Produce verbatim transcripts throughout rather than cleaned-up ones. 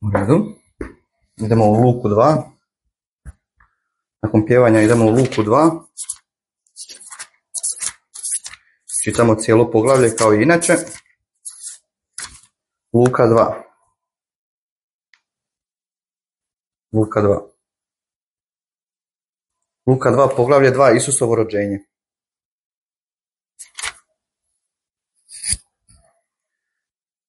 U redu. Idemo u Luku dva. Nakon pjevanja idemo u Luku dva. Čitamo cijelo poglavlje kao i inače. Luka dva. Luka dva. Luka dva, poglavlje dva, Isusovo rođenje.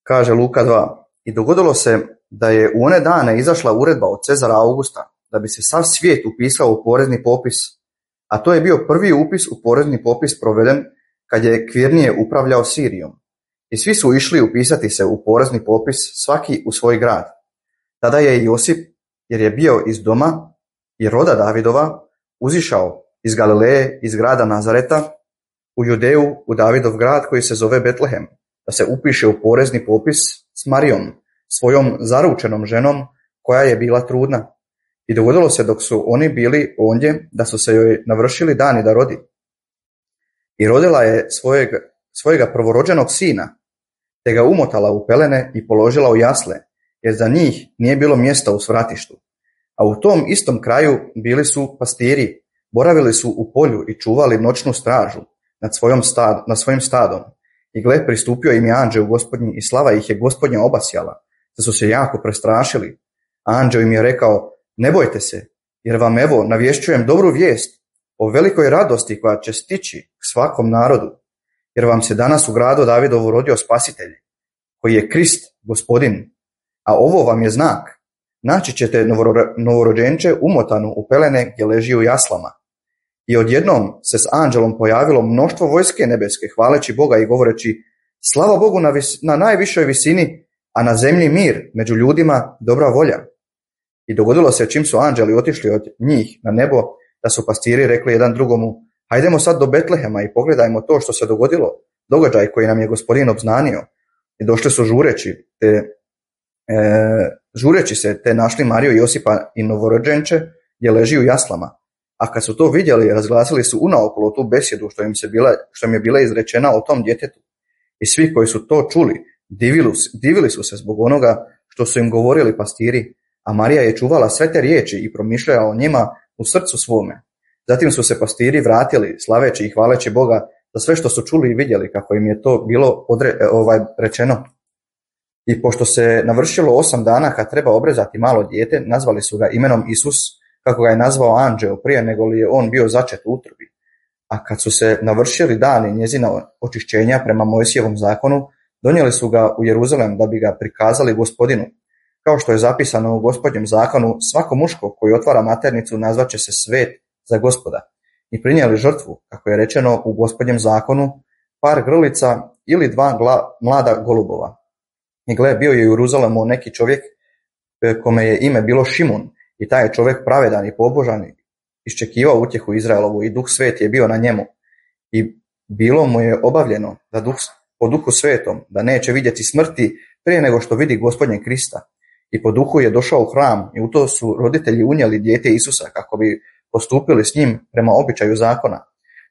Kaže Luka dva. I dogodilo se da je u one dane izašla uredba od Cezara Augusta, da bi se sav svijet upisao u porezni popis, a to je bio prvi upis u porezni popis proveden kad je Kvirnije upravljao Sirijom. I svi su išli upisati se u porezni popis, svaki u svoj grad. Tada je Josip, jer je bio iz doma i roda Davidova, uzišao iz Galileje, iz grada Nazareta, u Judeju, u Davidov grad koji se zove Betlehem, da se upiše u porezni popis s Marijom, svojom zaručenom ženom koja je bila trudna. I dogodilo se dok su oni bili ondje, da su se joj navršili dani da rodi. I rodila je svojeg, svojega prvorođenog sina, te ga umotala u pelene i položila u jasle, jer za njih nije bilo mjesta u svratištu. A u tom istom kraju bili su pastiri, boravili su u polju i čuvali noćnu stražu nad, svojom stad, nad svojim stadom. I gle, pristupio im je anđeo Gospodnji i slava ih je Gospodnja obasjala, da su se jako prestrašili. A anđeo im je rekao, ne bojte se, jer vam evo navješćujem dobru vijest o velikoj radosti koja će stići k svakom narodu, jer vam se danas u gradu Davidovu rodio spasitelj, koji je Krist, Gospodin. A ovo vam je znak, naći ćete novorođenče umotanu u pelene gdje leži u jaslama. I odjednom se s anđelom pojavilo mnoštvo vojske nebeske, hvaleći Boga i govoreći, slava Bogu na, vis, na najvišoj visini, a na zemlji mir, među ljudima dobra volja. I dogodilo se čim su anđeli otišli od njih na nebo, da su pastiri rekli jedan drugomu, hajdemo sad do Betlehema i pogledajmo to što se dogodilo, događaj koji nam je Gospodin obznanio. I došli su žureći, te, e, žureći se, te našli Mariju, Josipa i novorođenče gdje leži u jaslama. A kad su to vidjeli, razglasili su unaokolo tu besjedu što im, se bila, što im je bila izrečena o tom djetetu. I svi koji su to čuli, divili, divili su se zbog onoga što su im govorili pastiri, a Marija je čuvala sve te riječi i promišljala o njima u srcu svome. Zatim su se pastiri vratili, slaveći i hvaleći Boga za sve što su čuli i vidjeli, kako im je to bilo odre, ovaj, rečeno. I pošto se navršilo osam dana kad treba obrezati malo dijete, nazvali su ga imenom Isus, kako ga je nazvao anđeo prije nego li je on bio začet u utrobi. A kad su se navršili dani njezina očišćenja prema Mojsijevom zakonu, donijeli su ga u Jeruzalem da bi ga prikazali Gospodinu. Kao što je zapisano u Gospodnjem zakonu, svako muško koji otvara maternicu nazvaće se svet za Gospoda. I prinijeli žrtvu, kako je rečeno u Gospodnjem zakonu, par grlica ili dva gla, mlada golubova. I gle, bio je u Jeruzalemu neki čovjek kome je ime bilo Šimun, i taj je čovjek pravedan i pobožan, iščekivao utjehu Izraelovu i Duh Sveti je bio na njemu. I bilo mu je obavljeno da duh, po Duhu Svetom da neće vidjeti smrti prije nego što vidi Gospodnje Krista. I po Duhu je došao u hram i u to su roditelji unijeli dijete Isusa kako bi postupili s njim prema običaju zakona.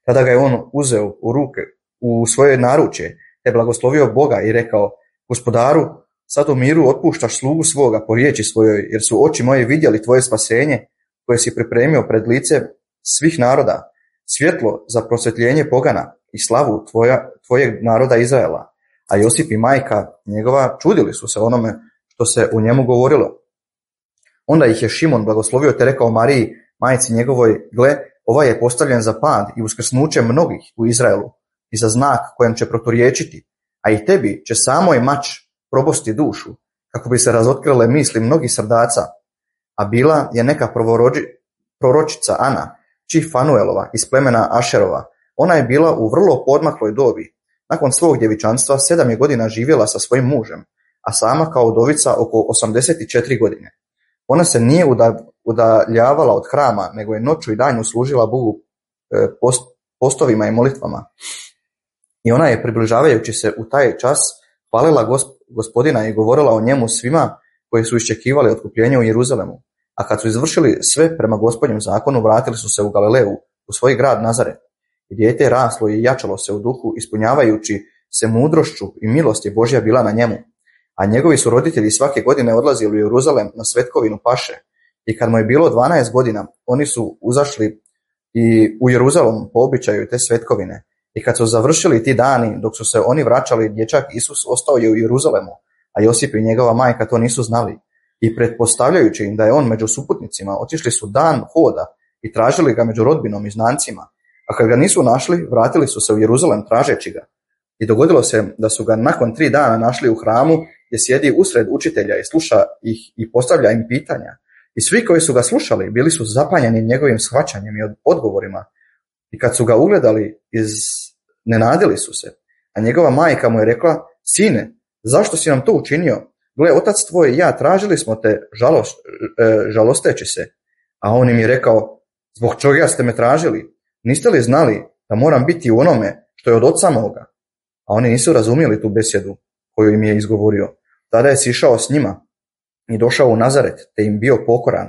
Tada ga je on uzeo u ruke, u svoje naručje, te blagoslovio Boga i rekao, Gospodaru, sad u miru otpuštaš slugu svoga po riječi svojoj, jer su oči moje vidjeli tvoje spasenje, koje si pripremio pred lice svih naroda, svjetlo za prosvjetljenje pogana i slavu tvoja, tvojeg naroda Izraela. A Josip i majka njegova čudili su se onome što se u njemu govorilo. Onda ih je Šimon blagoslovio te rekao Mariji, majci njegovoj, gle, ovaj je postavljen za pad i uskrsnuće mnogih u Izraelu i za znak kojem će proturječiti, a i tebi će samoj mač probosti dušu, kako bi se razotkrile misli mnogih srdaca. A bila je neka proročica Ana, či Fanuelova iz plemena Ašerova. Ona je bila u vrlo podmakloj dobi. Nakon svog djevičanstva sedam je godina živjela sa svojim mužem, a sama kao udovica oko osamdeset četiri godine. Ona se nije udaljavala od hrama, nego je noću i danju služila Bogu post, postovima i molitvama. I ona je, približavajući se u taj čas, hvalila Gospodina i govorila o njemu svima koji su iščekivali otkupljenje u Jeruzalemu. A kad su izvršili sve prema Gospodnjem zakonu, vratili su se u Galileju, u svoj grad Nazaret. I dijete je raslo i jačalo se u duhu, ispunjavajući se mudrošću i milost je Božja bila na njemu. a njegovi su roditelji svake godine odlazili u Jeruzalem na svetkovinu paše. I kad mu je bilo dvanaest godina, oni su uzašli i u Jeruzalem po običaju te svetkovine. I kad su završili ti dani, dok su se oni vraćali, dječak Isus ostao je u Jeruzalemu, a Josip i njegova majka to nisu znali. I pretpostavljajući im da je on među suputnicima, otišli su dan hoda i tražili ga među rodbinom i znancima. A kad ga nisu našli, vratili su se u Jeruzalem tražeći ga. I dogodilo se da su ga nakon tri dana našli u hramu, gdje sjedi usred učitelja i sluša ih i postavlja im pitanja. I svi koji su ga slušali bili su zapanjeni njegovim shvaćanjem i odgovorima. I kad su ga ugledali, iznenadili su se. A njegova majka mu je rekla: sine, zašto si nam to učinio? Gle, otac tvoj i ja tražili smo te žalost, žalosteći se. A on im je rekao: zbog čega ste me tražili? Niste li znali da moram biti u onome što je od oca moga? A oni nisu razumjeli tu besjedu koju im je izgovorio. Tada je sišao s njima i došao u Nazaret, te im bio pokoran,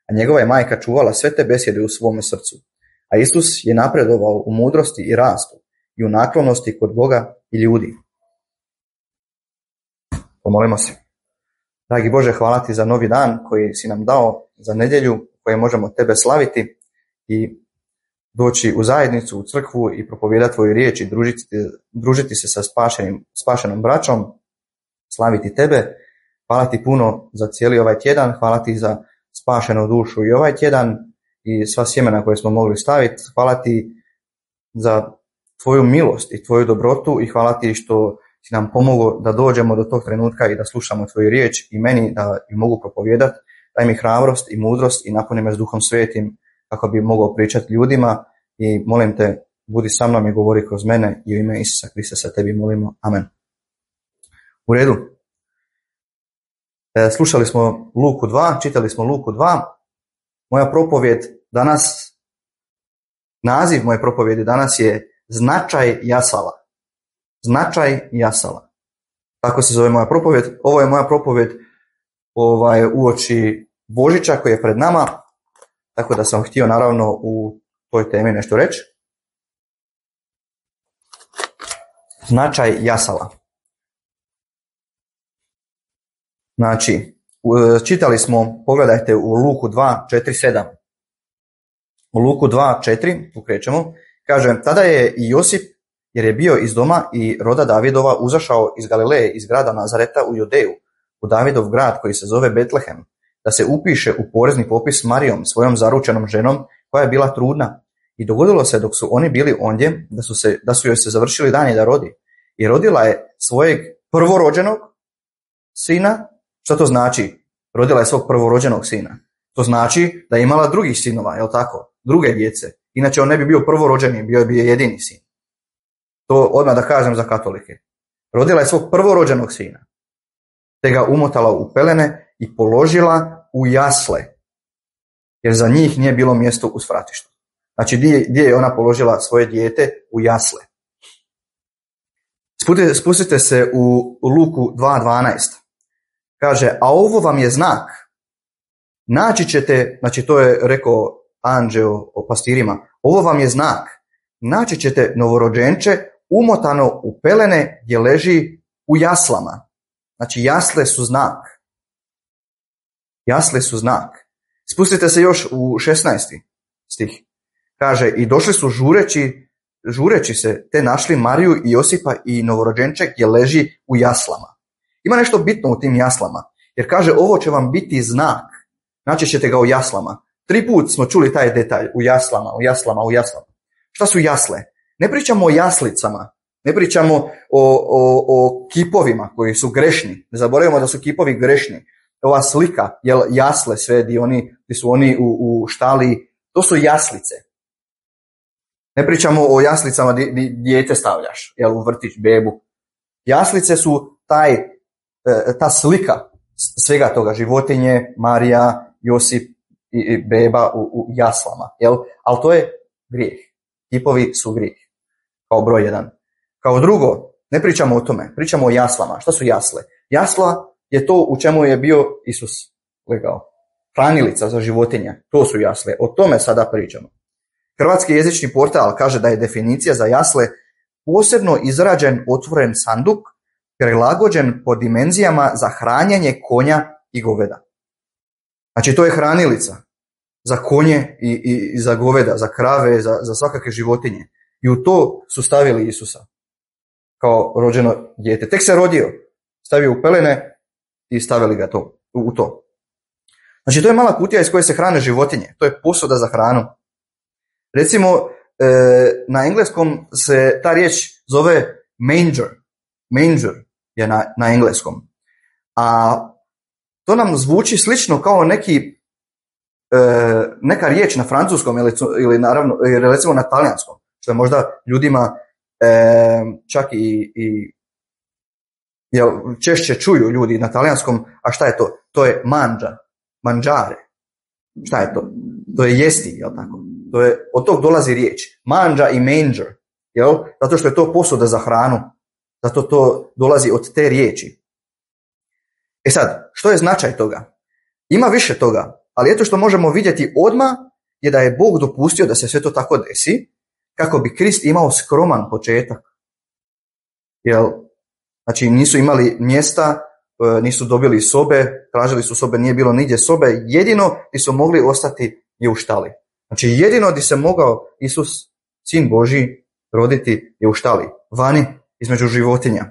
a njegova je majka čuvala sve te besjede u svome srcu. A Isus je napredovao u mudrosti i rastu i u naklonosti kod Boga i ljudi. Pomolimo se. Dragi Bože, hvala ti za novi dan koji si nam dao, za nedjelju koje možemo tebe slaviti i doći u zajednicu, u crkvu i propovijedati tvoju riječ i družiti, družiti se sa spašenim, spašenom braćom, slaviti tebe. Hvala ti puno za cijeli ovaj tjedan, hvala ti za spašenu dušu i ovaj tjedan i sva sjemena koje smo mogli staviti. Hvala ti za tvoju milost i tvoju dobrotu i hvala ti što si nam pomogao da dođemo do tog trenutka i da slušamo tvoju riječ i meni da ju mogu propovijedati. Daj mi hrabrost i mudrost i napuni me s Duhom Svetim kako bi mogao pričati ljudima i molim te, budi sa mnom i govori kroz mene i u ime Isusa Krista sa tebi molimo. Amen. U redu. E, slušali smo Luku dva, čitali smo Luku dva. Moja propovjed danas, naziv moje propovjedi danas je Značaj jasala. Značaj jasala. Tako se zove moja propovjed. Ovo je moja propovjed ovaj, uoči Božića koji je pred nama. Tako da sam htio naravno u toj temi nešto reći. Značaj jasala. Znači, čitali smo, pogledajte u Luku dva, četiri, sedam. U Luku dva, četiri, tu krećemo, kaže, tada je i Josip, jer je bio iz doma i roda Davidova, uzašao iz Galileje, iz grada Nazareta u Judeju, u Davidov grad koji se zove Betlehem, da se upiše u porezni popis s Marijom, svojom zaručenom ženom, koja je bila trudna. I dogodilo se dok su oni bili ondje, da su, se, da su joj se završili dani da rodi. I rodila je svojeg prvorođenog sina. Što to znači? Rodila je svog prvorođenog sina. To znači da je imala drugih sinova, jel tako? Druge djece. Inače on ne bi bio prvorođeni, bio bi jedini sin. To odmah da kažem za katolike. Rodila je svog prvorođenog sina, te ga umotala u pelene i položila u jasle, jer za njih nije bilo mjesto u svratištu. Znači, gdje, gdje je ona položila svoje dijete? U jasle. Spustite, spustite se u Luku dva dvanaest. Kaže, a ovo vam je znak. Naći ćete, znači to je rekao anđeo o pastirima, ovo vam je znak. Naći ćete novorođenče umotano u pelene gdje leži u jaslama. Znači jasle su znak. Jasle su znak. Spustite se još u šesnaesti stih. Kaže, i došli su žureći, žureći se, te našli Mariju i Josipa i novorođenče gdje leži u jaslama. Ima nešto bitno u tim jaslama, jer kaže, ovo će vam biti znak. Naći ćete ga u jaslama. Tri put smo čuli taj detalj, u jaslama, u jaslama, u jaslama. Šta su jasle? Ne pričamo o jaslicama, ne pričamo o, o, o kipovima koji su grešni. Ne zaboravimo da su kipovi grešni. Ova slika, jel, jasle sve, di, oni, di su oni u, u štali, to su jaslice. Ne pričamo o jaslicama di, di dijete stavljaš, jel, u vrtić, bebu. Jaslice su taj, ta slika svega toga, životinje, Marija, Josip i beba u, u jaslama, jel? Ali to je grijeh. Kipovi su grijeh, kao broj jedan. Kao drugo, ne pričamo o tome, pričamo o jaslama. Šta su jasle? Jasla je to u čemu je bio Isus legao. Hranilica za životinje, to su jasle. O tome sada pričamo. Hrvatski jezični portal kaže da je definicija za jasle posebno izrađen otvoren sanduk, prilagođen po dimenzijama za hranjenje konja i goveda. Znači to je hranilica za konje i, i, i za goveda, za krave, za, za svakakve životinje. I u to su stavili Isusa kao rođeno dijete. Tek se rodio, stavio u pelene i stavili ga to, u, u to. Znači to je mala kutija iz koje se hrane životinje. To je posuda za hranu. Recimo, e, na engleskom se ta riječ zove manger. Manger je na, na engleskom. A to nam zvuči slično kao neki, e, neka riječ na francuskom ili, ili naravno, ili recimo na talijanskom, što je možda ljudima e, čak i, i jel, češće čuju ljudi na talijanskom. A šta je to? To je manđa, manđare. Šta je to? To je jesti, jel tako? To je, od tog dolazi riječ. Manđa i manger, jel? Zato što je to posuda za hranu. Zato to dolazi od te riječi. E sad, što je značaj toga? Ima više toga, ali eto što možemo vidjeti odmah je da je Bog dopustio da se sve to tako desi, kako bi Krist imao skroman početak. Jel? Znači nisu imali mjesta, nisu dobili sobe, tražili su sobe, nije bilo nigdje sobe, jedino gdje su mogli ostati je u štali. Znači jedino gdje se mogao Isus, sin Božji, roditi je u štali, vani, između životinja.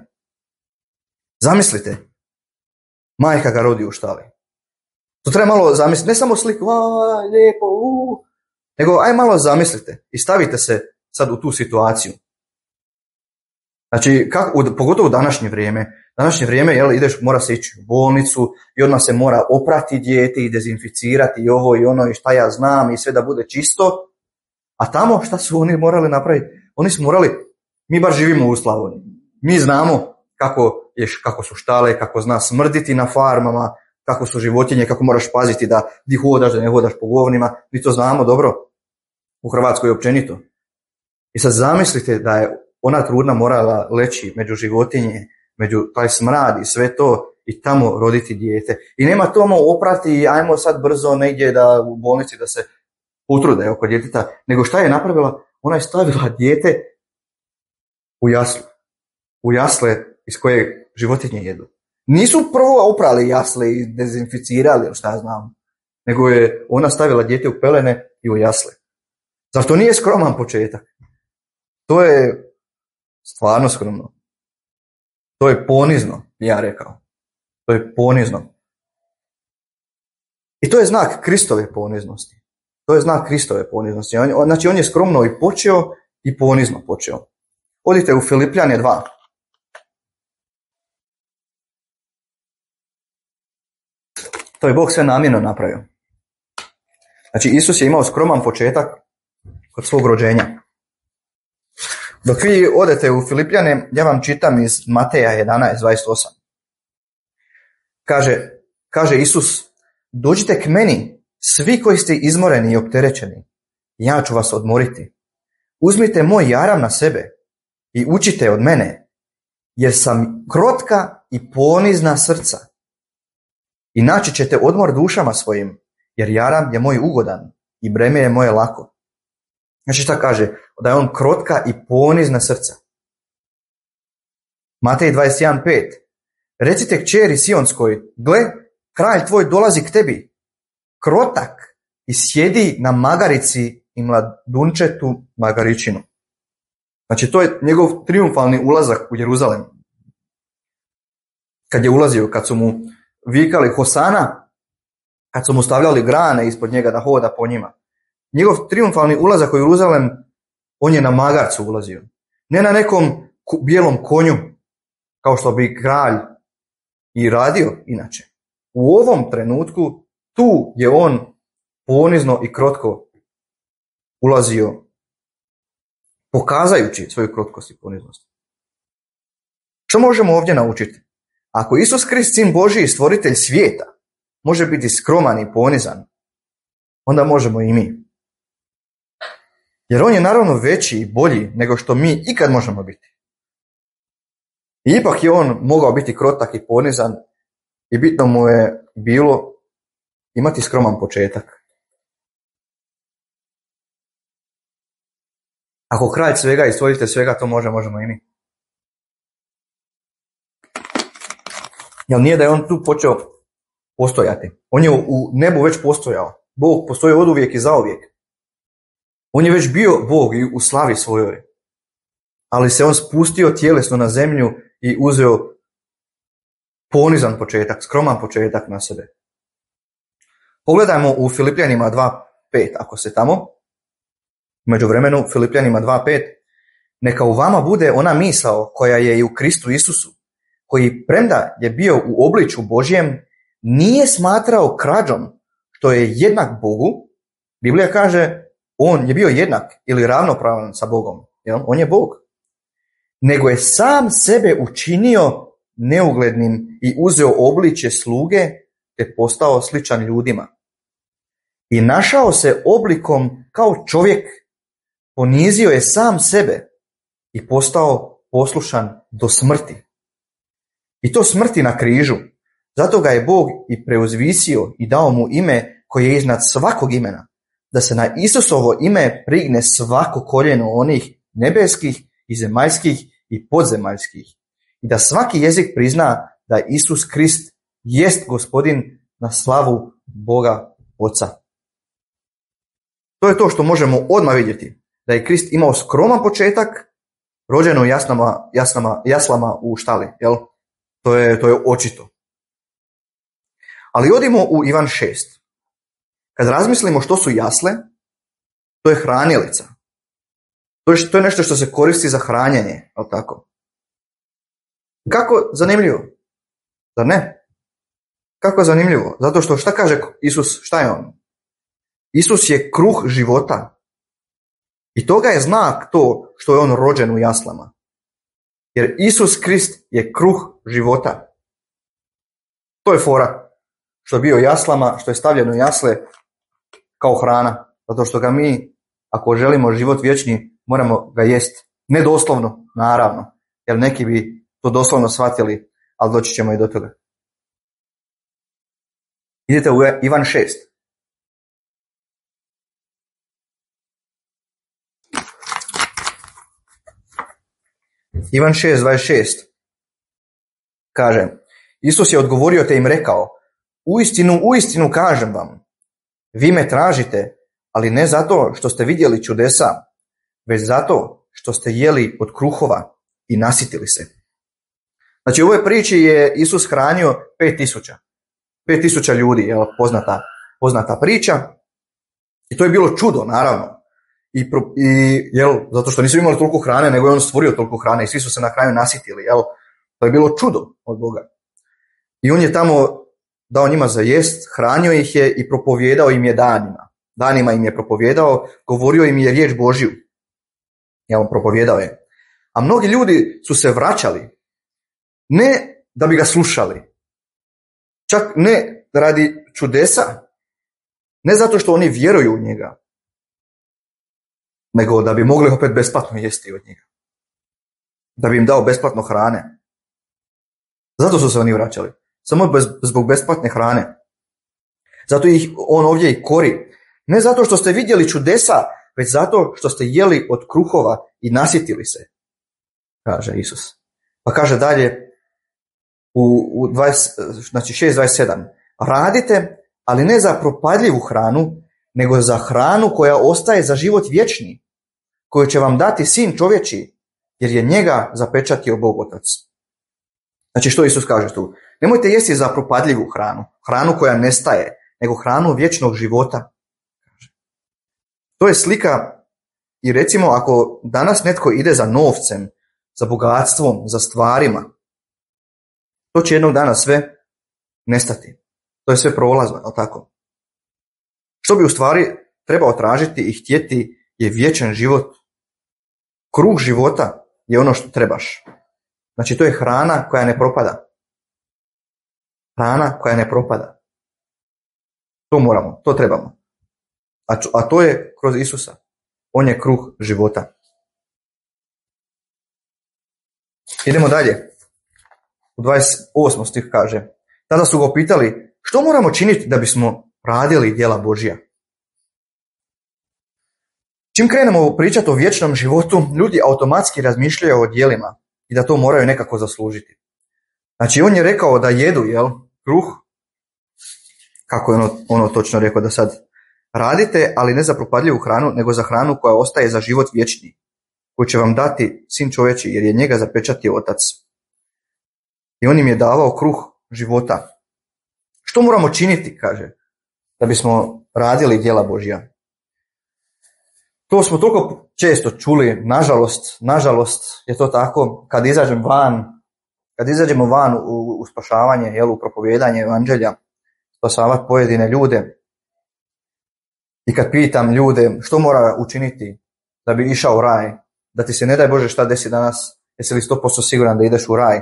Zamislite, majka ga rodi u štali. To treba malo zamisliti, ne samo sliku, a, lijepo, u, nego aj malo zamislite i stavite se sad u tu situaciju. Znači, kako, pogotovo u današnje vrijeme, današnje vrijeme, jel, ideš, mora se ići u bolnicu i odmah se mora oprati dijete i dezinficirati i ovo i ono i šta ja znam i sve da bude čisto. A tamo šta su oni morali napraviti? Oni su morali, mi bar živimo u Slavoniji, mi znamo kako, je, kako su štale, kako zna smrditi na farmama, kako su životinje, kako moraš paziti da di hodaš, da ne hodaš po govnima, mi to znamo dobro u Hrvatskoj općenito. I sad zamislite da je ona trudna morala leći među životinje, među taj smrad i sve to i tamo roditi dijete. I nema tomo oprati i ajmo sad brzo negdje da u bolnici da se potrude oko djeteta, nego šta je napravila? Ona je stavila dijete u jaslu. U jasle iz koje životinje jedu. Nisu prvo oprali jasle i dezinficirali, ili šta znam, nego je ona stavila dijete u pelene i u jasle. Zar to nije skroman početak? To je stvarno skromno. To je ponizno, ja rekao. To je ponizno. I to je znak Kristove poniznosti. To je znak Kristove poniznosti. On, znači on je skromno i počeo i ponizno počeo. Odite u Filipljane dva. To je Bog sve namjerno napravio. Znači Isus je imao skroman početak kod svog rođenja. Dok vi odete u Filipljane, ja vam čitam iz Mateja jedanaest dvadeset osam. Kaže, kaže Isus, dođite k meni, svi koji ste izmoreni i opterećeni, ja ću vas odmoriti. Uzmite moj jaram na sebe i učite od mene, jer sam krotka i ponizna srca. I naći ćete odmor dušama svojim, jer jaram je moj ugodan i breme je moje lako. Znači šta kaže? Da je on krotka i ponizna srca. Matej dvadeset jedan pet. Recite kćeri Sionskoj, gle, kralj tvoj dolazi k tebi, krotak i sjedi na magarici i mladunčetu magaričinu. Znači to je njegov triumfalni ulazak u Jeruzalem. Kad je ulazio, kad su mu vikali Hosana, kad su mu stavljali grane ispod njega da hoda po njima. Njegov triumfalni ulazak u Jeruzalem, on je na magarcu ulazio. Ne na nekom bijelom konju, kao što bi kralj i radio inače. U ovom trenutku, tu je on ponizno i krotko ulazio, pokazajući svoju krotkost i poniznost. Što možemo ovdje naučiti? Ako Isus Krist, sin Božji i stvoritelj svijeta, može biti skroman i ponizan, onda možemo i mi. Jer on je naravno veći i bolji nego što mi ikad možemo biti. I ipak je on mogao biti krotak i ponizan i bitno mu je bilo imati skroman početak. Ako kralj svega i stvoritelj svega to može, možemo i mi. Jer nije da je on tu počeo postojati. On je u nebu već postojao. Bog postoji oduvijek i zauvijek. On je već bio Bog i u slavi svojoj. Ali se on spustio tjelesno na zemlju i uzeo ponizan početak, skroman početak na sebe. Pogledajmo u Filipljanima dva pet, ako se tamo, u međuvremenu Filipljanima dva pet, neka u vama bude ona misao koja je i u Kristu Isusu, koji premda je bio u obličju Božjem, nije smatrao krađom što je jednak Bogu. Biblija kaže, on je bio jednak ili ravnopravan sa Bogom. Jel? On je Bog. Nego je sam sebe učinio neuglednim i uzeo obličje sluge te postao sličan ljudima. I našao se oblikom kao čovjek, ponizio je sam sebe i postao poslušan do smrti. I to smrti na križu. Zato ga je Bog i preuzvisio i dao mu ime koje je iznad svakog imena, da se na Isusovo ime prigne svako koljeno onih nebeskih i zemaljskih i podzemaljskih i da svaki jezik prizna da Isus Krist jest Gospodin na slavu Boga Oca. To je to što možemo odmah vidjeti, da je Krist imao skroman početak, rođen u jasnama, jasnama, jaslama u štali. Jel? To je, to je očito. Ali odimo u Ivan šest. Kad razmislimo što su jasle, to je hranilica. To je, to je nešto što se koristi za hranjenje, ali tako? Kako zanimljivo? Zar ne? Kako zanimljivo? Zato što šta kaže Isus, šta je on? Isus je kruh života. I toga je znak to što je on rođen u jaslama. Jer Isus Krist je kruh života. To je fora. Što je bio jaslama, što je stavljeno u jasle kao hrana. Zato što ga mi, ako želimo život vječni, moramo ga jest. Ne doslovno, naravno. Jer neki bi to doslovno shvatili, ali doći ćemo i do toga. Idete u Ivan šest. Ivan šest dvadeset šest kaže, Isus je odgovorio te im rekao, uistinu, uistinu kažem vam, vi me tražite, ali ne zato što ste vidjeli čudesa, već zato što ste jeli od kruhova i nasitili se. Znači u ovoj priči je Isus hranio pet tisuća. Pet tisuća ljudi, je poznata, poznata priča. I to je bilo čudo, naravno. I, i jel, zato što nisu imali toliko hrane, nego je on stvorio toliko hrane i svi su se na kraju nasitili. Jel? To je bilo čudo od Boga. I on je tamo dao njima za jest, hranio ih je i propovjedao im je danima. Danima im je propovjedao, govorio im je riječ Božju. Jel, propovjedao je. A mnogi ljudi su se vraćali, ne da bi ga slušali, čak ne radi čudesa, ne zato što oni vjeruju u njega, nego da bi mogli opet besplatno jesti od njega. Da bi im dao besplatno hrane. Zato su se oni vraćali. Samo bez, zbog besplatne hrane. Zato ih on ovdje i kori. Ne zato što ste vidjeli čudesa, već zato što ste jeli od kruhova i nasitili se, kaže Isus. Pa kaže dalje u, u dvadeset, znači šest dvadeset sedam. Radite, ali ne za propadljivu hranu, nego za hranu koja ostaje za život vječni, koju će vam dati Sin čovječji, jer je njega zapečatio Bog Otac. Znači što Isus kaže tu? Nemojte jesti za propadljivu hranu, hranu koja nestaje, nego hranu vječnog života. To je slika i recimo ako danas netko ide za novcem, za bogatstvom, za stvarima, to će jednog dana sve nestati. To je sve prolazno, je li tako? Što bi u stvari trebao tražiti i htjeti je vječan život. Kruh života je ono što trebaš. Znači to je hrana koja ne propada. Hrana koja ne propada. To moramo, to trebamo. A, a to je kroz Isusa. On je kruh života. Idemo dalje. U dvadeset osmom stih kaže, tada su ga pitali, što moramo činiti da bismo radili djela Božja? Čim krenemo pričati o vječnom životu, ljudi automatski razmišljaju o djelima i da to moraju nekako zaslužiti. Znači on je rekao da jedu, jel, kruh, kako je ono, ono točno rekao da sad radite, ali ne za propadljivu hranu, nego za hranu koja ostaje za život vječni, koju će vam dati sin čovječi, jer je njega zapečatio otac. I on im je davao kruh života. Što moramo činiti, kaže, da bismo radili djela Božja? To smo toliko često čuli, nažalost, nažalost je to tako, kad izađemo van, kad izađemo van u, u spašavanje, jel, u propovijedanje evanđelja, spasavati pojedine ljude, i kad pitam ljude što mora učiniti da bi išao u raj, da ti se ne daj Bože šta desi danas, jesi li sto posto siguran da ideš u raj?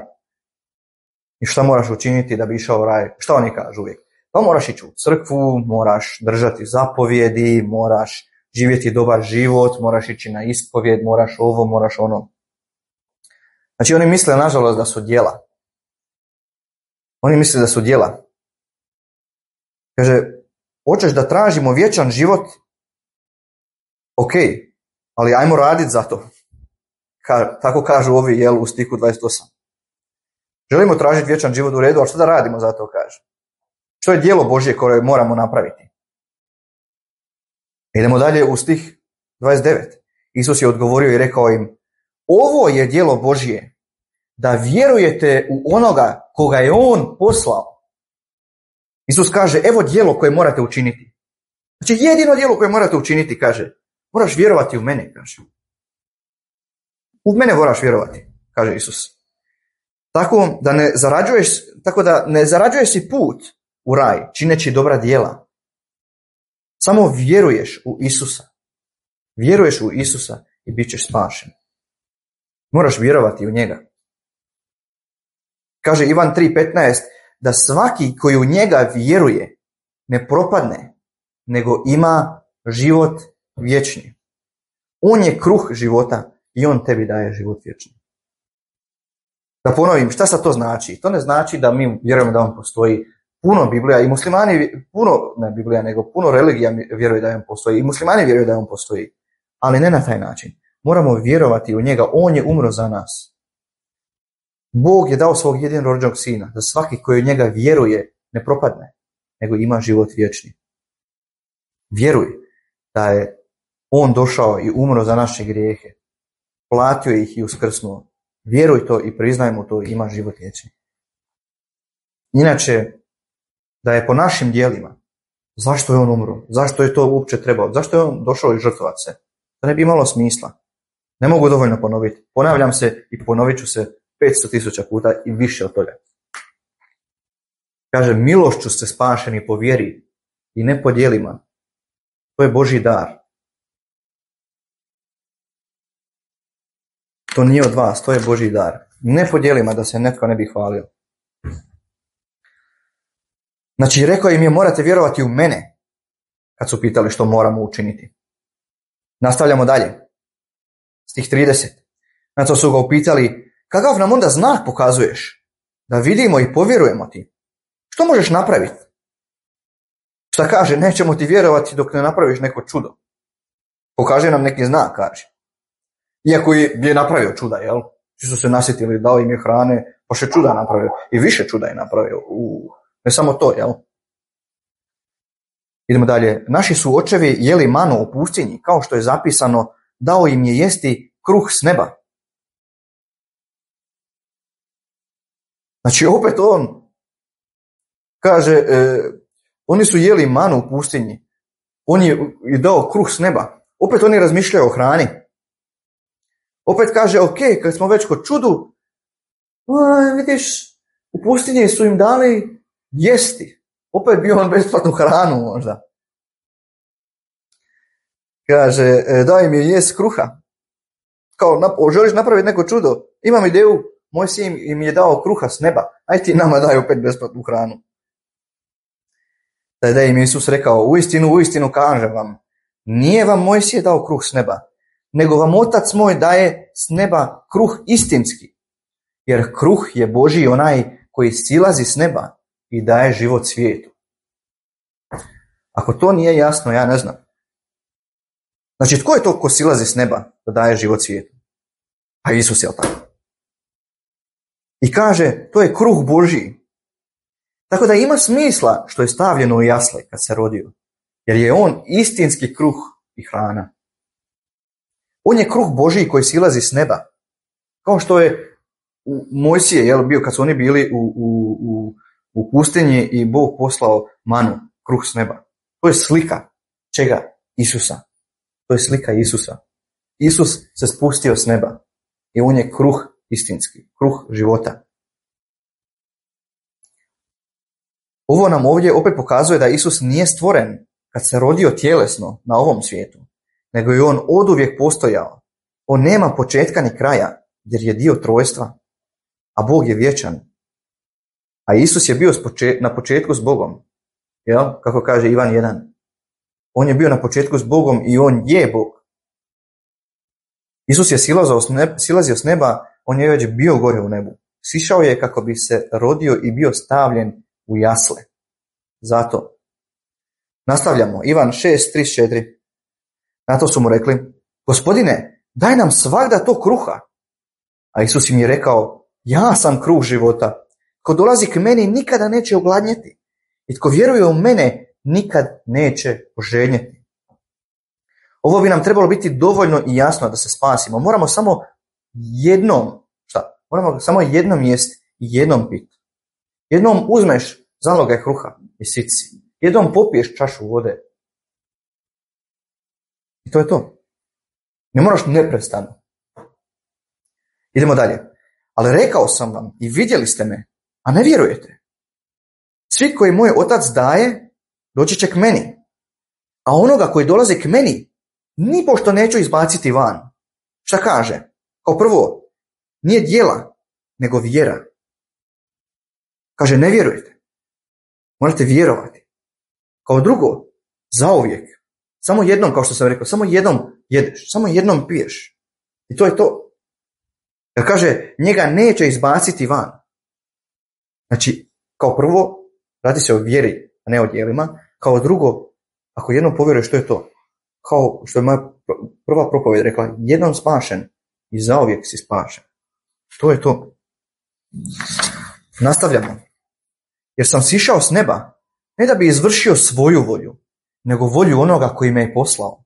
I šta moraš učiniti da bi išao u raj? Šta oni kažu uvijek? Pa moraš ići u crkvu, moraš držati zapovjedi, moraš živjeti dobar život, moraš ići na ispovjed, moraš ovo, moraš ono. Znači oni misle nažalost da su djela. Oni misle da su djela. Kaže, hoćeš da tražimo vječan život? Ok, ali ajmo raditi za to. Ka, tako kažu ovi, jel, u stihu dvadeset osam. Želimo tražiti vječan život, u redu, ali što da radimo za to, kaže? Što je djelo Božje koje moramo napraviti? Idemo dalje u stih dvadeset devet. Isus je odgovorio i rekao im, ovo je djelo Božje, da vjerujete u onoga koga je on poslao. Isus kaže, evo djelo koje morate učiniti. Znači jedino djelo koje morate učiniti, kaže, moraš vjerovati u mene, kaže. U mene moraš vjerovati, kaže Isus. Tako da ne zarađuješ, tako da ne zarađuješ si put u raj, čineći dobra djela. Samo vjeruješ u Isusa. Vjeruješ u Isusa i bit ćeš spašen. Moraš vjerovati u njega. Kaže Ivan tri petnaest, da svaki koji u njega vjeruje ne propadne, nego ima život vječni. On je kruh života i on tebi daje život vječni. Da ponovim, šta sad to znači? To ne znači da mi vjerujemo da on postoji. Puno Biblija i muslimani, puno, ne Biblija, nego puno religija vjeruje da on postoji. I muslimani vjeruju da on postoji. Ali ne na taj način. Moramo vjerovati u njega. On je umro za nas. Bog je dao svog jedinorođenog sina, da svaki koji u njega vjeruje ne propadne, nego ima život vječni. Vjeruj da je on došao i umro za naše grijehe. Platio ih i uskrsnuo. Vjeruj to i priznaj mu to i ima život vječni. Inače, da je po našim djelima, zašto je on umro? Zašto je to uopće trebao? Zašto je on došao i žrtvovati se? To ne bi imalo smisla. Ne mogu dovoljno ponoviti. Ponavljam se i ponovit ću se petsto tisuća puta i više od toga. Kaže, milošću ste spašeni po vjeri i ne po djelima. To je Božji dar. To nije od vas, to je Božji dar. Ne po djelima, da se netko ne bi hvalio. Znači, rekao im je, morate vjerovati u mene, kad su pitali što moramo učiniti. Nastavljamo dalje. Stih trideset. Znači su ga upitali, kakav nam onda znak pokazuješ? Da vidimo i povjerujemo ti. Što možeš napraviti? Šta kaže, nećemo ti vjerovati dok ne napraviš neko čudo. Pokaže nam neki znak, kaže. Iako je, je napravio čuda, jel? Svi su se nasjetili, dao im je hrane, pa še čuda napravio. I više čuda je napravio. U, ne samo to, jel? Idemo dalje. Naši su očevi jeli manu u pustinji, kao što je zapisano, dao im je jesti kruh s neba. Znači opet on kaže, e, oni su jeli manu u pustinji, on je dao kruh s neba. Opet oni razmišljaju o hrani. Opet kaže, ok, kad smo već kod čudu, a, vidiš, u pustinji su im dali jesti. Opet bio on besplatnu hranu možda. Kaže, daj im je jest kruha. Kao, nap- želiš napraviti neko čudo? Imam ideju, moj sin im je dao kruha s neba. Aj ti nama daj opet besplatnu hranu. Tada im Isus rekao, uistinu, uistinu kažem vam, nije vam Mojsije dao kruh s neba, nego vam Otac moj daje s neba kruh istinski. Jer kruh je Božji onaj koji silazi s neba i daje život svijetu. Ako to nije jasno, ja ne znam. Znači, tko je to ko silazi s neba da daje život svijetu? A Isus je tako. I kaže, to je kruh Božji. Tako da ima smisla što je stavljeno u jasle kad se rodio. Jer je on istinski kruh i hrana. On je kruh Božji koji silazi s neba. Kao što je u Mojsije, jel, bio kad su oni bili u, u, u, u pustinji i Bog poslao manu, kruh s neba. To je slika čega? Isusa. To je slika Isusa. Isus se spustio s neba i on je kruh istinski, kruh života. Ovo nam ovdje opet pokazuje da Isus nije stvoren kad se rodio tjelesno na ovom svijetu, nego je on oduvijek postojao. On nema početka ni kraja, jer je dio trojstva, a Bog je vječan. A Isus je bio na početku s Bogom, jel? Kako kaže Ivan jedan. On je bio na početku s Bogom i on je Bog. Isus je silazio s neba, on je već bio gore u nebu. Sišao je kako bi se rodio i bio stavljen u jasle. Zato. Nastavljamo. Ivan šest trideset četiri. Na to su mu rekli, Gospodine, daj nam svagda to kruha. A Isus im je rekao, ja sam kruh života. Ko dolazi k meni nikada neće ogladnjeti. I tko vjeruje u mene nikad neće poželjeti. Ovo bi nam trebalo biti dovoljno i jasno da se spasimo. Moramo samo jednom, šta? Moramo samo jednom jesti i jednom piti. Jednom uzmeš zalogaj kruha i sit si. Jednom popiješ čašu vode. I to je to. Ne moraš neprestano. Idemo dalje. Ali rekao sam vam i vidjeli ste me, a ne vjerujete. Svi koji moj otac daje, doći će k meni. A onoga koji dolazi k meni, nipošto neću izbaciti van. Šta kaže? Kao prvo, nije djela, nego vjera. Kaže, ne vjerujete. Morate vjerovati. Kao drugo, zauvijek. Samo jednom, kao što sam rekao, samo jednom jedeš, samo jednom piješ. I to je to. Jer kaže, njega neće izbaciti van. Znači, kao prvo, radi se o vjeri, a ne o djelima. Kao drugo, ako jednom povjeruješ, što je to? Kao što je moja prva propovjed rekla, jednom spašen i zauvijek si spašen. To je to. Nastavljamo. Jer sam sišao s neba, ne da bi izvršio svoju volju, nego volju onoga koji me je poslao.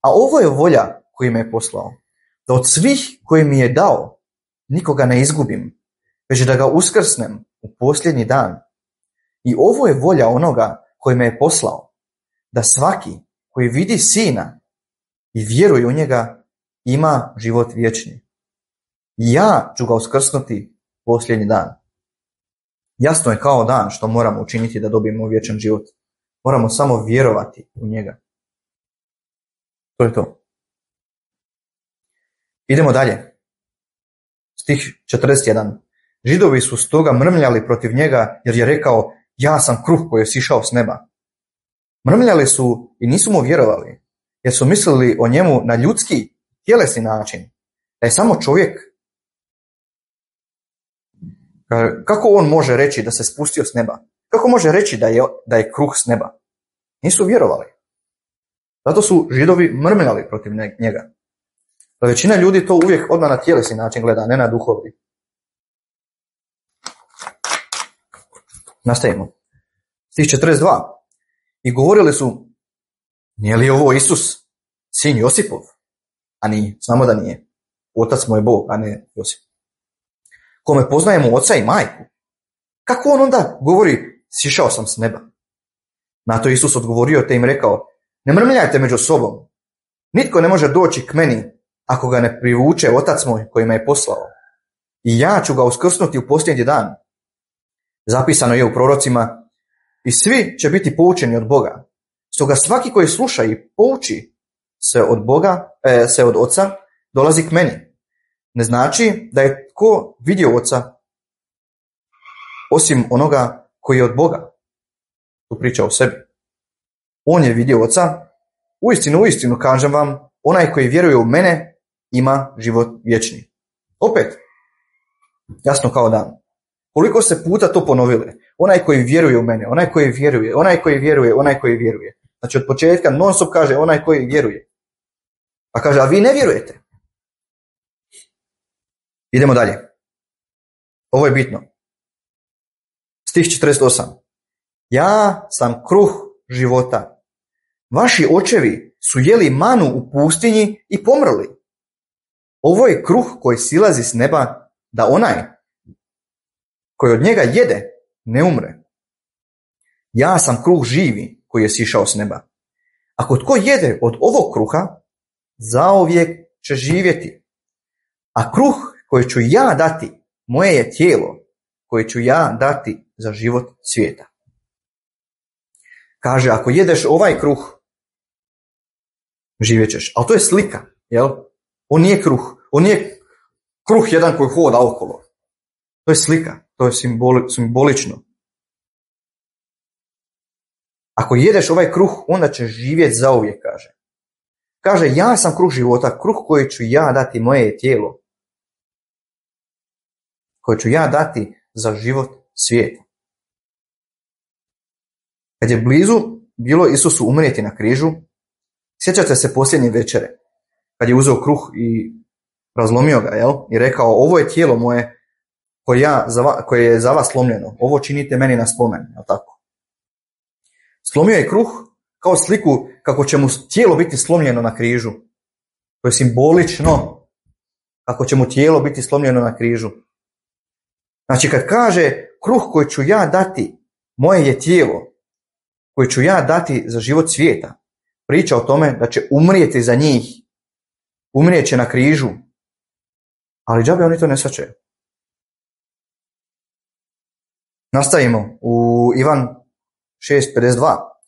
A ovo je volja koji me je poslao, da od svih koji mi je dao, nikoga ne izgubim, već da ga uskrsnem u posljednji dan. I ovo je volja onoga koji me je poslao, da svaki koji vidi Sina i vjeruje u njega, ima život vječni. I ja ću ga uskrsnuti posljednji dan. Jasno je kao dan što moramo učiniti da dobijemo vječan život. Moramo samo vjerovati u njega. To je to. Idemo dalje. Stih četrdeset jedan. Židovi su stoga mrmljali protiv njega jer je rekao, ja sam kruh koji je sišao s neba. Mrmljali su i nisu mu vjerovali, jer su mislili o njemu na ljudski, tjelesni način, da je samo čovjek. Kako on može reći da se spustio s neba? Kako može reći da je, da je kruh s neba? Nisu vjerovali. Zato su Židovi mrmljali protiv njega. Da većina ljudi to uvijek odmah na tjelesni način gleda, ne na duhovni. Nastavimo. Stih četrdeset dva. I govorili su, nije li ovo Isus, sin Josipov? A nije, znamo da nije. Otac mu je Bog, a ne Josip. Kome poznajemo oca i majku. Kako on onda govori, sišao sam s neba? Na to Isus odgovorio te im rekao, ne mrmljajte među sobom. Nitko ne može doći k meni ako ga ne privuče otac moj koji me je poslao. I ja ću ga uskrsnuti u posljednji dan. Zapisano je u prorocima, i svi će biti poučeni od Boga. Stoga svaki koji sluša i pouči se od Boga, e, se od oca, dolazi k meni. Ne znači da je tko vidio oca osim onoga koji je od Boga. Tu priča o sebi. On je vidio oca. Uistinu, uistinu kažem vam, onaj koji vjeruje u mene ima život vječni. Opet, jasno kao dan. Koliko se puta to ponovile? Onaj koji vjeruje u mene, onaj koji vjeruje, onaj koji vjeruje, onaj koji vjeruje. Znači od početka non stop kaže onaj koji vjeruje. Pa kaže, a vi ne vjerujete. Idemo dalje. Ovo je bitno. Stih četrdeset osam. Ja sam kruh života. Vaši očevi su jeli manu u pustinji i pomrli. Ovo je kruh koji silazi s neba, da onaj koji od njega jede ne umre. Ja sam kruh živi koji je sišao s neba. Ako tko jede od ovog kruha, zauvijek će živjeti. A kruh koji ću ja dati, moje je tijelo koje ću ja dati za život svijeta. Kaže, ako jedeš ovaj kruh, živjet ćeš. Ali to je slika, jel? On nije kruh. On nije kruh jedan koji hoda okolo. To je slika. To je simboli, simbolično. Ako jedeš ovaj kruh, onda ćeš živjeti zauvijek, kaže. Kaže, ja sam kruh života, kruh koji ću ja dati, moje je tijelo. Koje ću ja dati za život svijeta. Kad je blizu bilo Isusu umrijeti na križu, sjećate se posljednje večere, kad je uzeo kruh i razlomio ga, jel? I rekao, ovo je tijelo moje koje, ja, koje je za vas slomljeno. Ovo činite meni na spomen, jel tako? Slomio je kruh kao sliku kako će mu tijelo biti slomljeno na križu. To je simbolično kako će mu tijelo biti slomljeno na križu. Znači kad kaže kruh koji ću ja dati, moje je tijelo koje ću ja dati za život svijeta, priča o tome da će umrijeti za njih, umrijet će na križu, ali džabe oni to ne shvaćaju. Nastavimo u Ivan šest pedeset dva.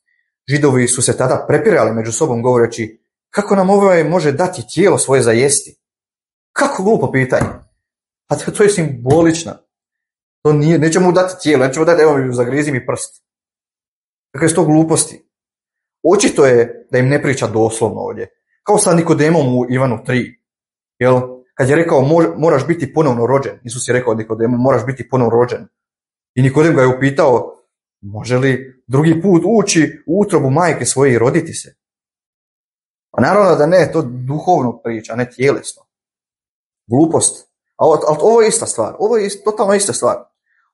Židovi su se tada prepirali među sobom govoreći, kako nam ovaj može dati tijelo svoje za jesti? Kako glupo pitanje. A to, to je simbolično. To nije, nećemo mu dati tijelo, nećemo dati, evo mi zagrizi mi prst. Kakve su to gluposti? Očito je da im ne priča doslovno ovdje. Kao sa Nikodemom u Ivanu tri. Jel? Kad je rekao moraš biti ponovno rođen. Isus je rekao Nikodemu moraš biti ponovno rođen. I Nikodem ga je upitao može li drugi put ući u utrobu majke svoje i roditi se? A naravno da ne, to duhovno priča, ne tjelesno. Glupost. Ali ovo je ista stvar. Ovo je totalno ista stvar.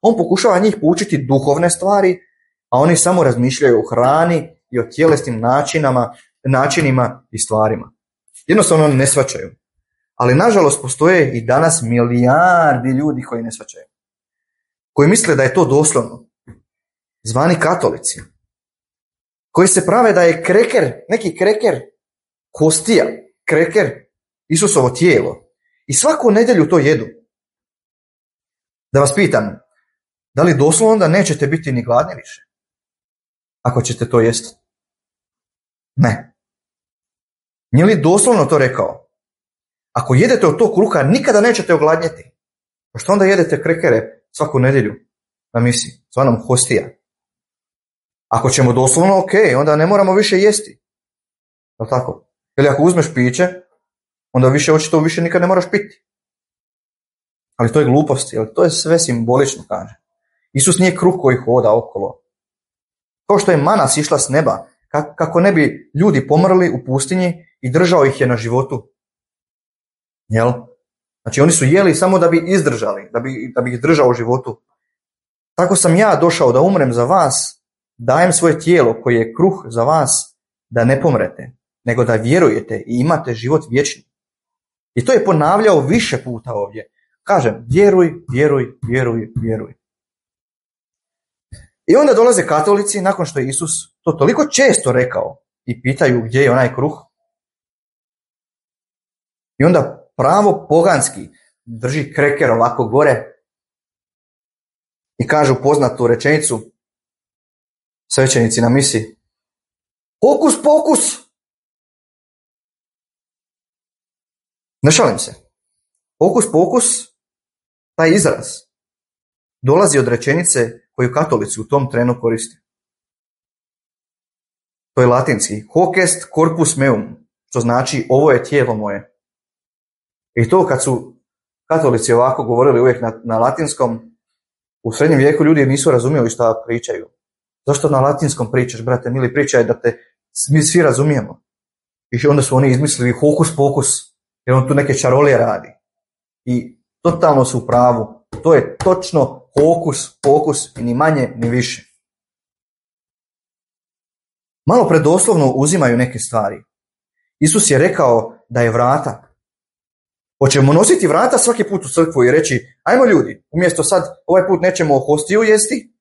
On pokušava njih poučiti duhovne stvari, a oni samo razmišljaju o hrani i o tjelesnim načinama, načinima i stvarima. Jednostavno oni ne shvaćaju. Ali nažalost postoje i danas milijardi ljudi koji ne shvaćaju. Koji misle da je to doslovno. Zvani katolici. Koji se prave da je kreker, neki kreker, kostija, kreker, Isusovo tijelo. I svaku nedjelju to jedu. Da vas pitam, da li doslovno onda nećete biti ni gladni više? Ako ćete to jesti? Ne. Nije li doslovno to rekao? Ako jedete od tog kruha, nikada nećete ogladnjeti. Pa što onda jedete krekere svaku nedjelju na misi, zvanom hostija? Ako ćemo doslovno, ok, onda ne moramo više jesti. Je tako? Ili ako uzmeš piće, onda više očito više nikad ne moraš piti. Ali to je glupost, jer to je sve simbolično, kaže. Isus nije kruh koji hoda okolo. Kao što je mana sišla s neba, kako ne bi ljudi pomrli u pustinji i držao ih je na životu. Jel? Znači oni su jeli samo da bi izdržali, da bi, da bi ih držao u životu. Tako sam ja došao da umrem za vas, dajem svoje tijelo koje je kruh za vas, da ne pomrete, nego da vjerujete i imate život vječni. I to je ponavljao više puta ovdje. Kažem, vjeruj, vjeruj, vjeruj, vjeruj. I onda dolaze katolici, nakon što je Isus to toliko često rekao, i pitaju gdje je onaj kruh. I onda pravo poganski drži kreker ovako gore i kažu poznatu rečenicu svećenici na misi. Hokus pokus! Ne šalim se. Hokus pokus, taj izraz, dolazi od rečenice koju katolici u tom trenu koriste. To je latinski. Hoc est corpus meum, što znači ovo je tijelo moje. I to kad su katolici ovako govorili uvijek na, na latinskom, u srednjem vijeku ljudi nisu razumjeli šta pričaju. Zašto na latinskom pričaš, brate mili, pričaj da te mi svi razumijemo. I onda su oni izmislili hokus pokus, jer on tu neke čarolije radi. I totalno su u pravu. To je točno hokus, pokus i ni manje ni više. Malo predoslovno uzimaju neke stvari. Isus je rekao da je vrata. Hoćemo nositi vrata svaki put u crkvu i reći, ajmo ljudi, umjesto sad ovaj put nećemo hostiju jesti,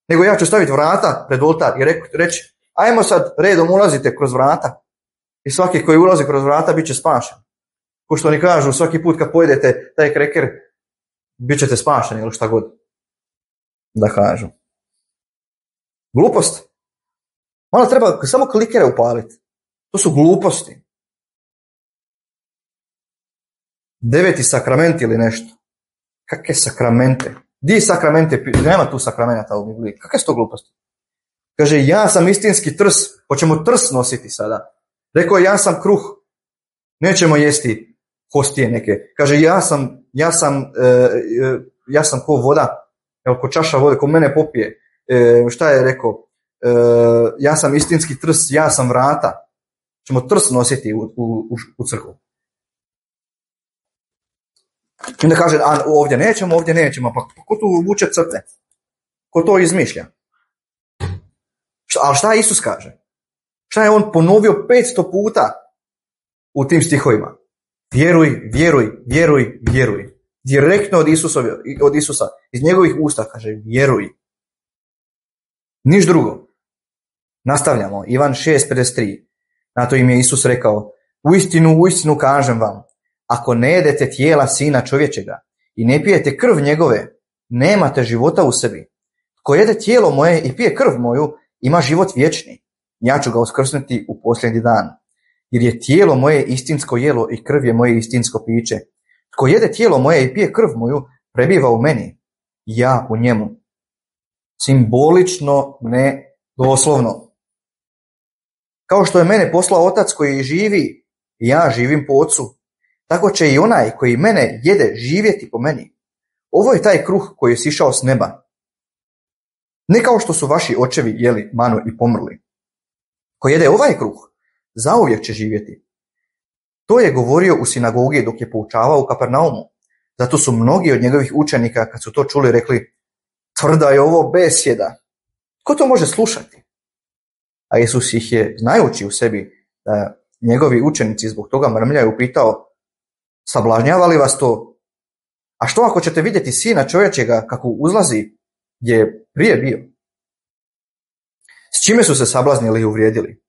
nego ja ću staviti vrata pred oltar i reći, ajmo sad redom ulazite kroz vrata i svaki koji ulazi kroz vrata bit će spašen. Ko što oni kažu, svaki put kad pojedete taj kreker, bit ćete spašeni ili šta god da kažu. Glupost. Malo treba samo klikere upaliti. To su gluposti. Deveti sakrament ili nešto. Kakve sakramente? Di sakramente? Nema tu sakramenata u Bibliji. Kakve su to gluposti? Kaže, ja sam istinski trs. Hoćemo trs nositi sada. Rekao, ja sam kruh. Nećemo jesti hostije neke. Kaže, ja sam, ja sam, e, ja sam ko voda. Evo, ko čaša vode, ko mene popije. E, šta je rekao? E, ja sam istinski trs, ja sam vrata. Ćemo trs nositi u, u, u crkvu. I onda kaže, a ovdje nećemo, ovdje nećemo. Pa ko tu vuče crte? Ko to izmišlja? Šta, ali šta Isus kaže? Šta je on ponovio petsto puta u tim stihovima? Vjeruj, vjeruj, vjeruj, vjeruj. Direktno od, Isusovi, od Isusa. Iz njegovih usta kaže vjeruj. Niš drugo. Nastavljamo. Ivan šest pedeset tri. Na to im je Isus rekao, uistinu, uistinu kažem vam, ako ne jedete tijela Sina čovječega i ne pijete krv njegove, nemate života u sebi. Tko jede tijelo moje i pije krv moju, ima život vječni. Ja ću ga uskrsnuti u posljednji dan. Jer je tijelo moje istinsko jelo i krv je moje istinsko piće. Tko jede tijelo moje i pije krv moju, prebiva u meni, ja u njemu. Simbolično, ne doslovno. Kao što je mene poslao Otac koji živi, ja živim po Ocu, tako će i onaj koji mene jede živjeti po meni. Ovo je taj kruh koji je sišao s neba. Ne kao što su vaši očevi jeli manu i pomrli. Ko jede ovaj kruh, zauvijek će živjeti. To je govorio u sinagogi dok je poučavao u Kapernaumu. Zato su mnogi od njegovih učenika, kad su to čuli, rekli, tvrda je ovo besjeda. Ko to može slušati? A Isus ih je, znajući u sebi da njegovi učenici zbog toga mrmljaju, pitao, sablažnjava li vas to? A što ako ćete vidjeti Sina čovječega kako uzlazi gdje je prije bio? S čime su se sablaznili i uvrijedili?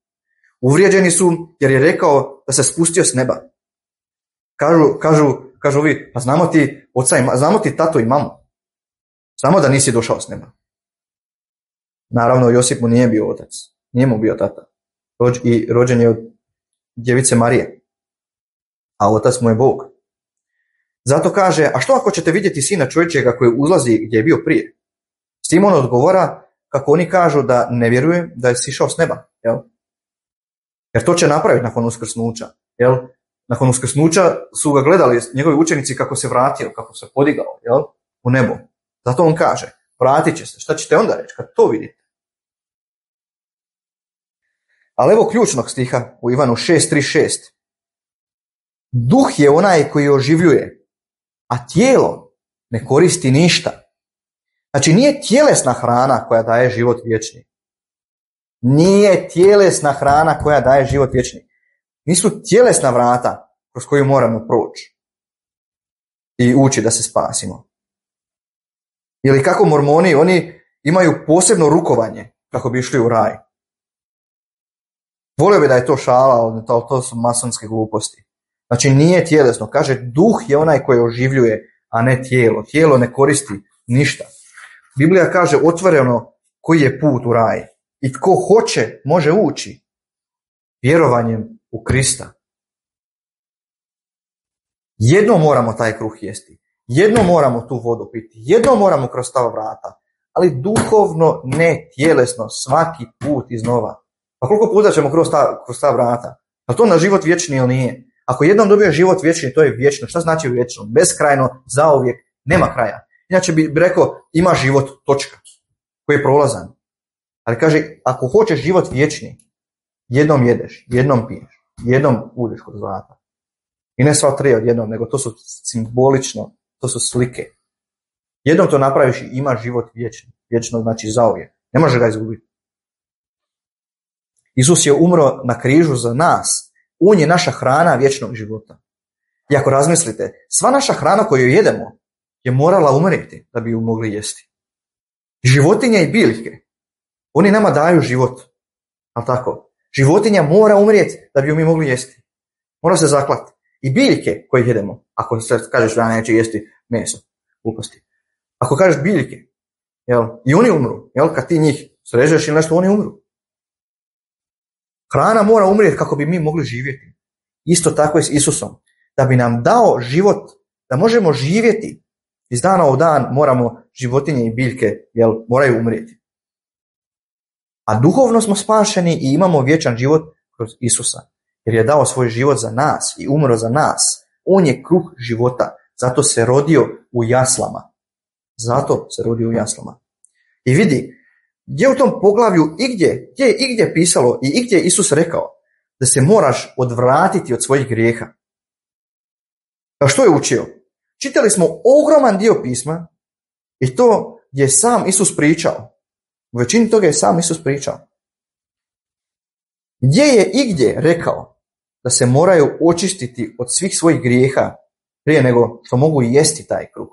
Uvrijeđeni su jer je rekao da se spustio s neba. Kažu, kažu, kažu vi, pa znamo ti oca i, znamo ti tato i mamu. Znamo da nisi došao s neba. Naravno, Josip mu nije bio otac. Nije mu bio tata. Rođ, I rođen je od djevice Marije. A otac mu je Bog. Zato kaže, a što ako ćete vidjeti Sina čovječega koji uzlazi gdje je bio prije? S tim on odgovora kako oni kažu da ne vjeruje da je sišao s neba. Jel? Jer to će napraviti nakon uskrsnuća. Jel? Nakon uskrsnuća su ga gledali njegovi učenici kako se vratio, kako se podigao, jel? U nebo. Zato on kaže, vratit će se. Šta ćete onda reći kad to vidite? Ali evo ključnog stiha u Ivanu šest trideset šest. Duh je onaj koji oživljuje, a tijelo ne koristi ništa. Znači nije tjelesna hrana koja daje život vječni. Nije tjelesna hrana koja daje život vječni. Nisu tjelesna vrata kroz koju moramo proći i ući da se spasimo. Ili kako mormoni, oni imaju posebno rukovanje kako bi išli u raj. Volio bi da je to šala, ali to su masonske gluposti. Znači nije tjelesno. Kaže, duh je onaj koji oživljuje, a ne tijelo. Tijelo ne koristi ništa. Biblija kaže otvoreno koji je put u raj. I tko hoće, može ući vjerovanjem u Krista. Jedno moramo taj kruh jesti. Jedno moramo tu vodu piti. Jedno moramo kroz ta vrata. Ali duhovno, ne tjelesno, svaki put iznova. Pa koliko puta ćemo kroz ta, kroz ta vrata? Pa to na život vječni ili nije? Ako jednom dobije život vječni, to je vječno. Šta znači vječno? Beskrajno, zauvijek, nema kraja. Inače bi rekao, ima život, točka, koji je prolazan. Ali kaže, ako hoćeš život vječni, jednom jedeš, jednom piješ, jednom uđeš kroz vrata. I ne sva tri odjednom, nego to su simbolično, to su slike. Jednom to napraviš i imaš život vječni. Vječno znači zauvijek. Ne može ga izgubiti. Isus je umro na križu za nas. On je naša hrana vječnog života. I ako razmislite, sva naša hrana koju jedemo je morala umrijeti da bi ju mogli jesti. Životinje i biljke, oni nama daju život. Ali tako? Životinja mora umrijeti da bi ju mi mogli jesti. Mora se zaklati. I biljke koje jedemo, ako se kažeš da neće jesti meso, gluposti. Ako kažeš biljke, jel, i oni umru, jel, kad ti njih srežeš ili nešto, oni umru. Hrana mora umrijeti kako bi mi mogli živjeti. Isto tako je s Isusom. Da bi nam dao život, da možemo živjeti, iz dana u dan moramo životinje i biljke, jel, moraju umrijeti. A duhovno smo spašeni i imamo vječan život kroz Isusa. Jer je dao svoj život za nas i umro za nas. On je kruh života. Zato se rodio u jaslama. Zato se rodio u jaslama. I vidi, gdje u tom poglavlju igdje, gdje je igdje pisalo i igdje je Isus rekao da se moraš odvratiti od svojih grijeha. A što je učio? Čitali smo ogroman dio pisma i to je sam Isus pričao. U većini toga je sam Isus pričao. Gdje je igdje rekao da se moraju očistiti od svih svojih grijeha prije nego što mogu jesti taj kruh?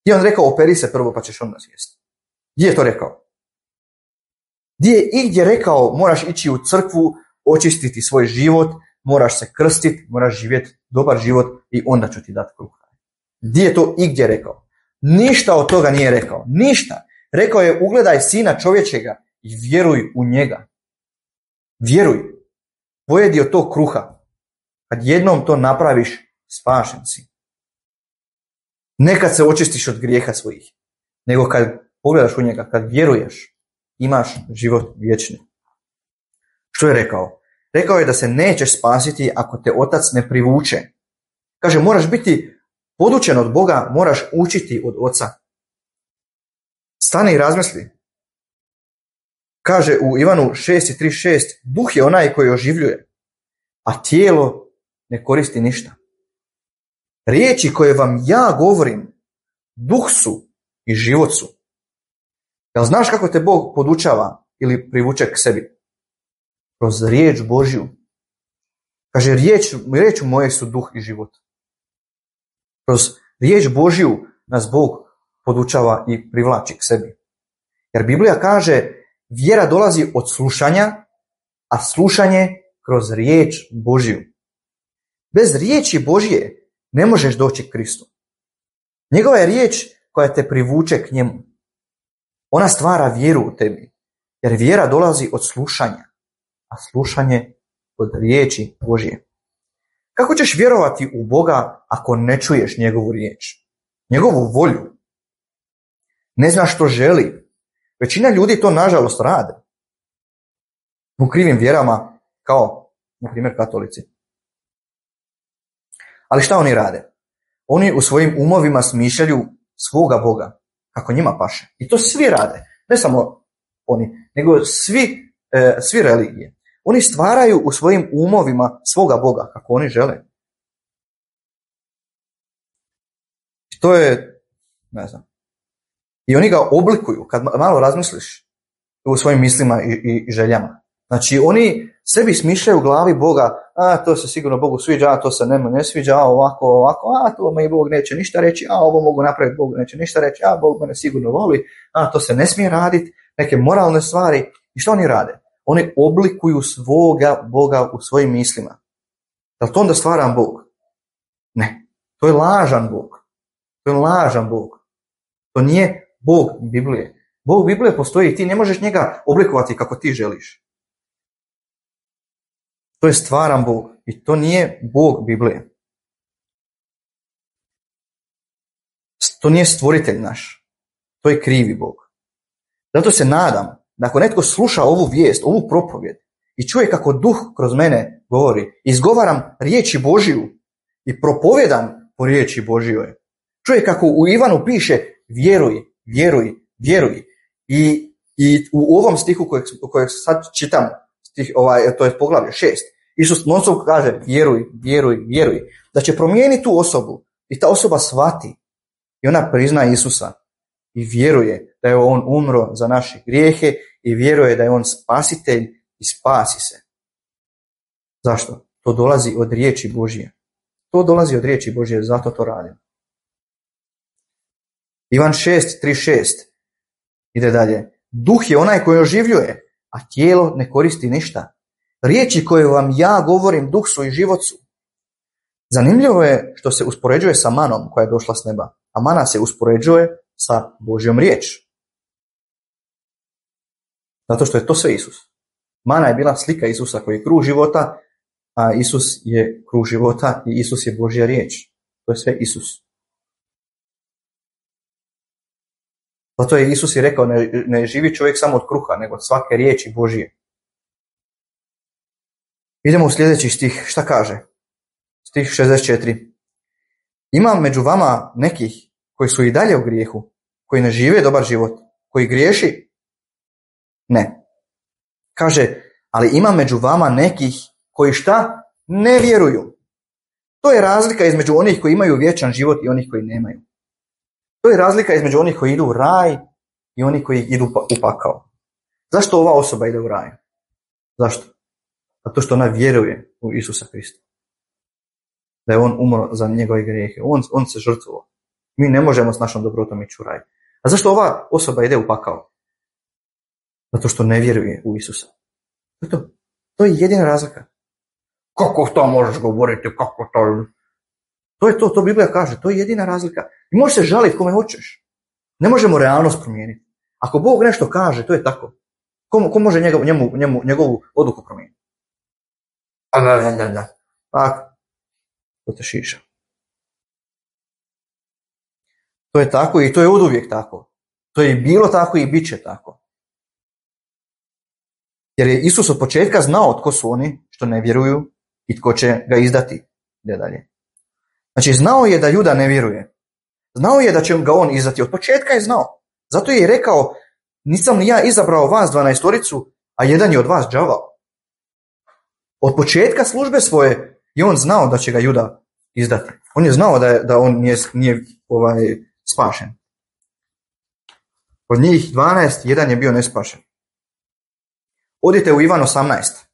Gdje on rekao operi se prvo pa ćeš onda jesti? Gdje je to rekao? Gdje je igdje rekao moraš ići u crkvu, očistiti svoj život, moraš se krstiti, moraš živjeti dobar život i onda ću ti dati kruh? Gdje je to igdje rekao? Ništa od toga nije rekao. Ništa. Rekao je ugledaj sina čovječega i vjeruj u njega. Vjeruj. Pojedi od tog kruha. Kad jednom to napraviš, spašen si. Ne kad se očistiš od grijeha svojih, nego kad pogledaš u njega, kad vjeruješ, imaš život vječni. Što je rekao? Rekao je da se nećeš spasiti ako te otac ne privuče. Kaže, moraš biti podučen od Boga, moraš učiti od oca. Stani i razmisli. Kaže u Ivanu šest trideset šest, duh je onaj koji oživljuje, a tijelo ne koristi ništa. Riječi koje vam ja govorim, duh su i život su. Jel znaš kako te Bog podučava ili privuče k sebi? Kroz riječ Božju. Kaže, riječ, riječ moje su duh i život. Kroz riječ Božju nas Bog podučava i privlači k sebi. Jer Biblija kaže, vjera dolazi od slušanja, a slušanje kroz riječ Božju. Bez riječi Božje ne možeš doći k Kristu. Njegova je riječ koja te privuče k njemu. Ona stvara vjeru u tebi, jer vjera dolazi od slušanja, a slušanje od riječi Božje. Kako ćeš vjerovati u Boga ako ne čuješ njegovu riječ, njegovu volju? Ne znaš što želi. Većina ljudi to nažalost rade. U krivim vjerama, kao, na primjer, katolici. Ali šta oni rade? Oni u svojim umovima smišljaju svoga Boga, kako njima paše. I to svi rade. Ne samo oni, nego svi, e, svi religije. Oni stvaraju u svojim umovima svoga Boga, kako oni žele. I to je, ne znam. I oni ga oblikuju, kad malo razmisliš u svojim mislima i, i, i željama. Znači, oni sebi smišljaju u glavi Boga, a to se sigurno Bogu sviđa, a to se nema ne sviđa, a ovako, ovako, a to me Bog neće ništa reći, a ovo mogu napraviti, Bog neće ništa reći, a Bog mene sigurno voli, a to se ne smije raditi, neke moralne stvari. I što oni rade? Oni oblikuju svoga Boga u svojim mislima. Da li to onda stvaran Bog? Ne. To je lažan Bog. To je lažan Bog. To nije Bog Biblije. Bog Biblije postoji i ti ne možeš njega oblikovati kako ti želiš. To je stvaran Bog i to nije Bog Biblije. To nije stvoritelj naš. To je krivi Bog. Zato se nadam da ako netko sluša ovu vijest, ovu propovjed i čuje kako duh kroz mene govori, izgovaram riječi Božiju i propovjedam po riječi Božjoj. Čuje kako u Ivanu piše vjeruj, vjeruj, vjeruj. I, i u ovom stihu kojeg, kojeg sad čitam, stih, ovaj, to je poglavlje šest, Isus non-stop kaže vjeruj, vjeruj, vjeruj. Da će promijeniti tu osobu i ta osoba shvati I ona prizna Isusa i vjeruje da je on umro za naše grijehe i vjeruje da je on spasitelj i spasi se. Zašto? To dolazi od riječi Božje. To dolazi od riječi Božje, zato to radim. Ivan šest trideset šest ide dalje. Duh je onaj koji oživljuje, a tijelo ne koristi ništa. Riječi koje vam ja govorim, duh su i život su. Zanimljivo je što se uspoređuje sa manom koja je došla s neba, a mana se uspoređuje sa Božjom riječ. Zato što je to sve Isus. Mana je bila slika Isusa koji je kruh života, a Isus je kruh života i Isus je Božja riječ. To je sve Isus. Zato je Isus i rekao, ne, ne živi čovjek samo od kruha, nego od svake riječi Božje. Idemo u sljedeći stih. Šta kaže? Stih šezdeset četiri. Ima među vama nekih koji su i dalje u grijehu, koji ne žive dobar život, koji griješi? Ne. Kaže, ali ima među vama nekih koji šta? Ne vjeruju. To je razlika između onih koji imaju vječan život i onih koji nemaju. To je razlika između onih koji idu u raj i onih koji idu u pakao. Zašto ova osoba ide u raj? Zašto? Zato što ona vjeruje u Isusa Krista. Da je on umro za njegove grijehe. On, on se žrtvovao. Mi ne možemo s našom dobrotom ići u raj. A zašto ova osoba ide u pakao? Zato što ne vjeruje u Isusa. To je to. To je jedina razlika. Kako to možeš govoriti? Kako to? To je to, to Biblija kaže. To je jedina razlika. I možeš se žaliti kome hoćeš. Ne možemo realnost promijeniti. Ako Bog nešto kaže, to je tako. Ko, ko može njegov, njemu, njemu, njegovu odluku promijeniti? A da, da, da, da. Tako. To te šiša. To je tako i to je oduvijek tako. To je bilo tako i bit će tako. Jer je Isus od početka znao tko su oni što ne vjeruju i tko će ga izdati. Ide dalje. Znači, znao je da Juda ne vjeruje. Znao je da će ga on izdati. Od početka je znao. Zato je i rekao, nisam ni ja izabrao vas dvanaestoricu, a jedan je od vas đavao. Od početka službe svoje je on znao da će ga Juda izdati. On je znao da, je, da on nije, nije ovaj, spašen. Od njih dvanaest, jedan je bio nespašen. Odite u Ivan osamnaest.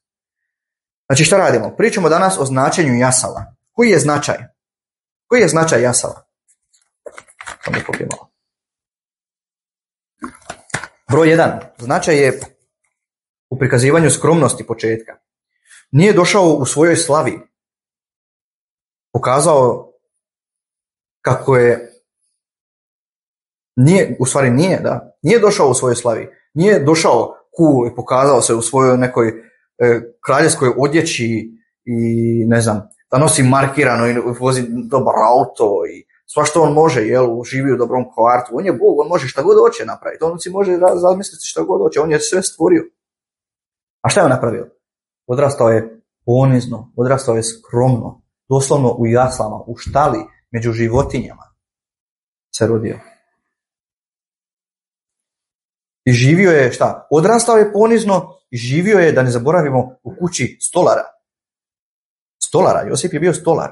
Znači, šta radimo? Pričamo danas o značenju jasala. Koji je značaj? Koji je značaj jasala? Broj jedan. Značaj je u prikazivanju skromnosti početka. Nije došao u svojoj slavi. Pokazao kako je nije, u stvari nije, da. Nije došao u svojoj slavi. Nije došao cool i pokazao se u svojoj nekoj e, kraljevskoj odjeći i ne znam, da nosi markirano i vozi dobar auto i sva što on može, jel, živi u dobrom kvartu. On je Bog, on može šta god hoće napraviti. On si može razmisliti šta god hoće. On je sve stvorio. A šta je on napravio? Odrastao je ponizno, odrastao je skromno, doslovno u jaslama, u štali, među životinjama se rodio. I živio je, šta? Odrastao je ponizno i živio je, da ne zaboravimo, u kući stolara. Stolara, Josip je bio stolar.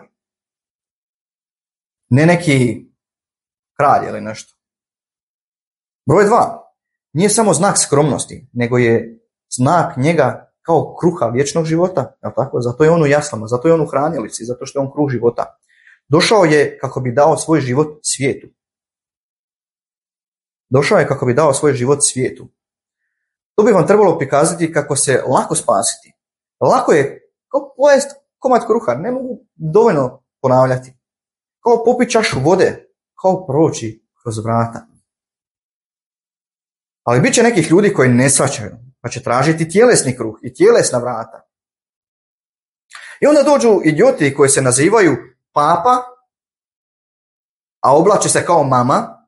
Ne neki kralj ili nešto. Broj dva. Nije samo znak skromnosti, nego je znak njega kao kruha vječnog života. Je tako? Zato je on u jaslama, zato je on u hranilici, zato što je on kruh života. Došao je kako bi dao svoj život svijetu. Došao je kako bi dao svoj život svijetu. To bi vam trebalo prikazati kako se lako spasiti. Lako je kao pojest komad kruha, ne mogu dovoljno ponavljati. Kao popiti čašu vode, kao proći kroz vrata. Ali bit će nekih ljudi koji ne shvaćaju, pa će tražiti tjelesni kruh i tjelesna vrata. I onda dođu idioti koji se nazivaju papa, a oblače se kao mama,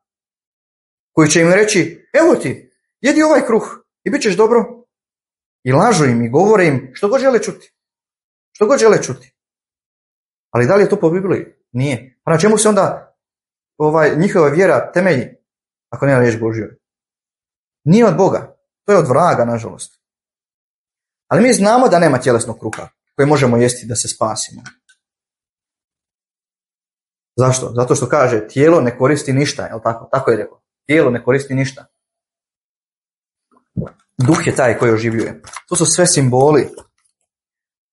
koji će im reći, evo ti, jedi ovaj kruh i bit ćeš dobro. I lažu im i govore im što god žele čuti. Što god žele čuti. Ali da li je to po Bibliji? Nije. Pa na čemu se onda ovaj, njihova vjera temelji, ako nema riječ Božjoj? Nije od Boga. To je od vraga, nažalost. Ali mi znamo da nema tjelesnog kruha koje možemo jesti da se spasimo. Zašto? Zato što kaže tijelo ne koristi ništa, jel tako? Tako je rekao. Tijelo ne koristi ništa. Duh je taj koji oživljuje. To su sve simboli.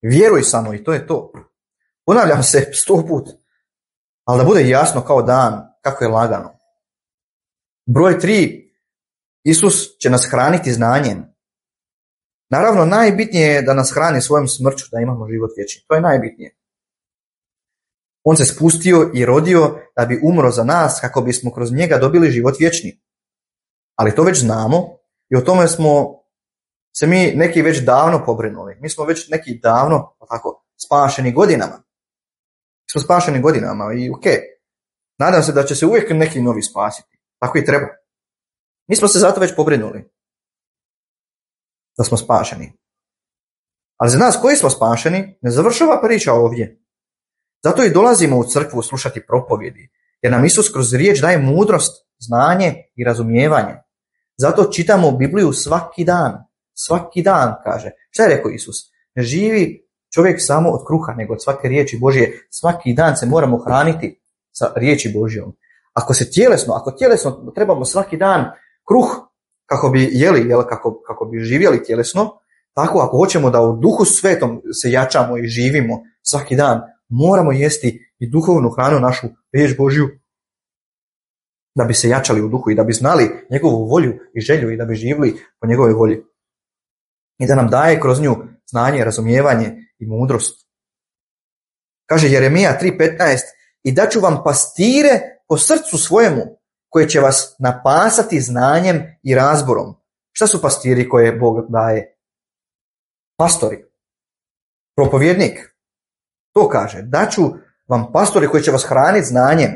Vjeruj samo i to je to. Ponavljam se sto put, ali da bude jasno kao dan, kako je lagano. Broj tri. Isus će nas hraniti znanjem. Naravno, najbitnije je da nas hrani svojom smrću, da imamo život vječni. To je najbitnije. On se spustio i rodio da bi umro za nas kako bismo kroz njega dobili život vječni. Ali to već znamo i o tome smo se mi neki već davno pobrinuli. Mi smo već neki davno tako, spašeni godinama. Mi smo spašeni godinama i ok. Nadam se da će se uvijek neki novi spasiti. Tako i treba. Mi smo se zato već pobrinuli da smo spašeni. Ali za nas koji smo spašeni ne završava priča ovdje. Zato i dolazimo u crkvu slušati propovjedi, jer nam Isus kroz riječ daje mudrost, znanje i razumijevanje. Zato čitamo Bibliju svaki dan. Svaki dan, kaže. Šta je rekao Isus? Ne živi čovjek samo od kruha, nego od svake riječi Božje. Svaki dan se moramo hraniti sa riječi Božjom. Ako se tjelesno, ako tjelesno trebamo svaki dan kruh kako bi jeli, jel, kako, kako bi živjeli tjelesno, tako ako hoćemo da u duhu svetom se jačamo i živimo svaki dan, moramo jesti i duhovnu hranu, našu riječ Božju, da bi se jačali u duhu i da bi znali njegovu volju i želju i da bi živjeli po njegovoj volji. I da nam daje kroz nju znanje, razumijevanje i mudrost. Kaže Jeremija tri petnaest, i daću vam pastire po srcu svojemu, koje će vas napasati znanjem i razborom. Šta su pastiri koje Bog daje? Pastori. Propovjednik. To kaže. Daću vam pastori koji će vas hraniti znanjem,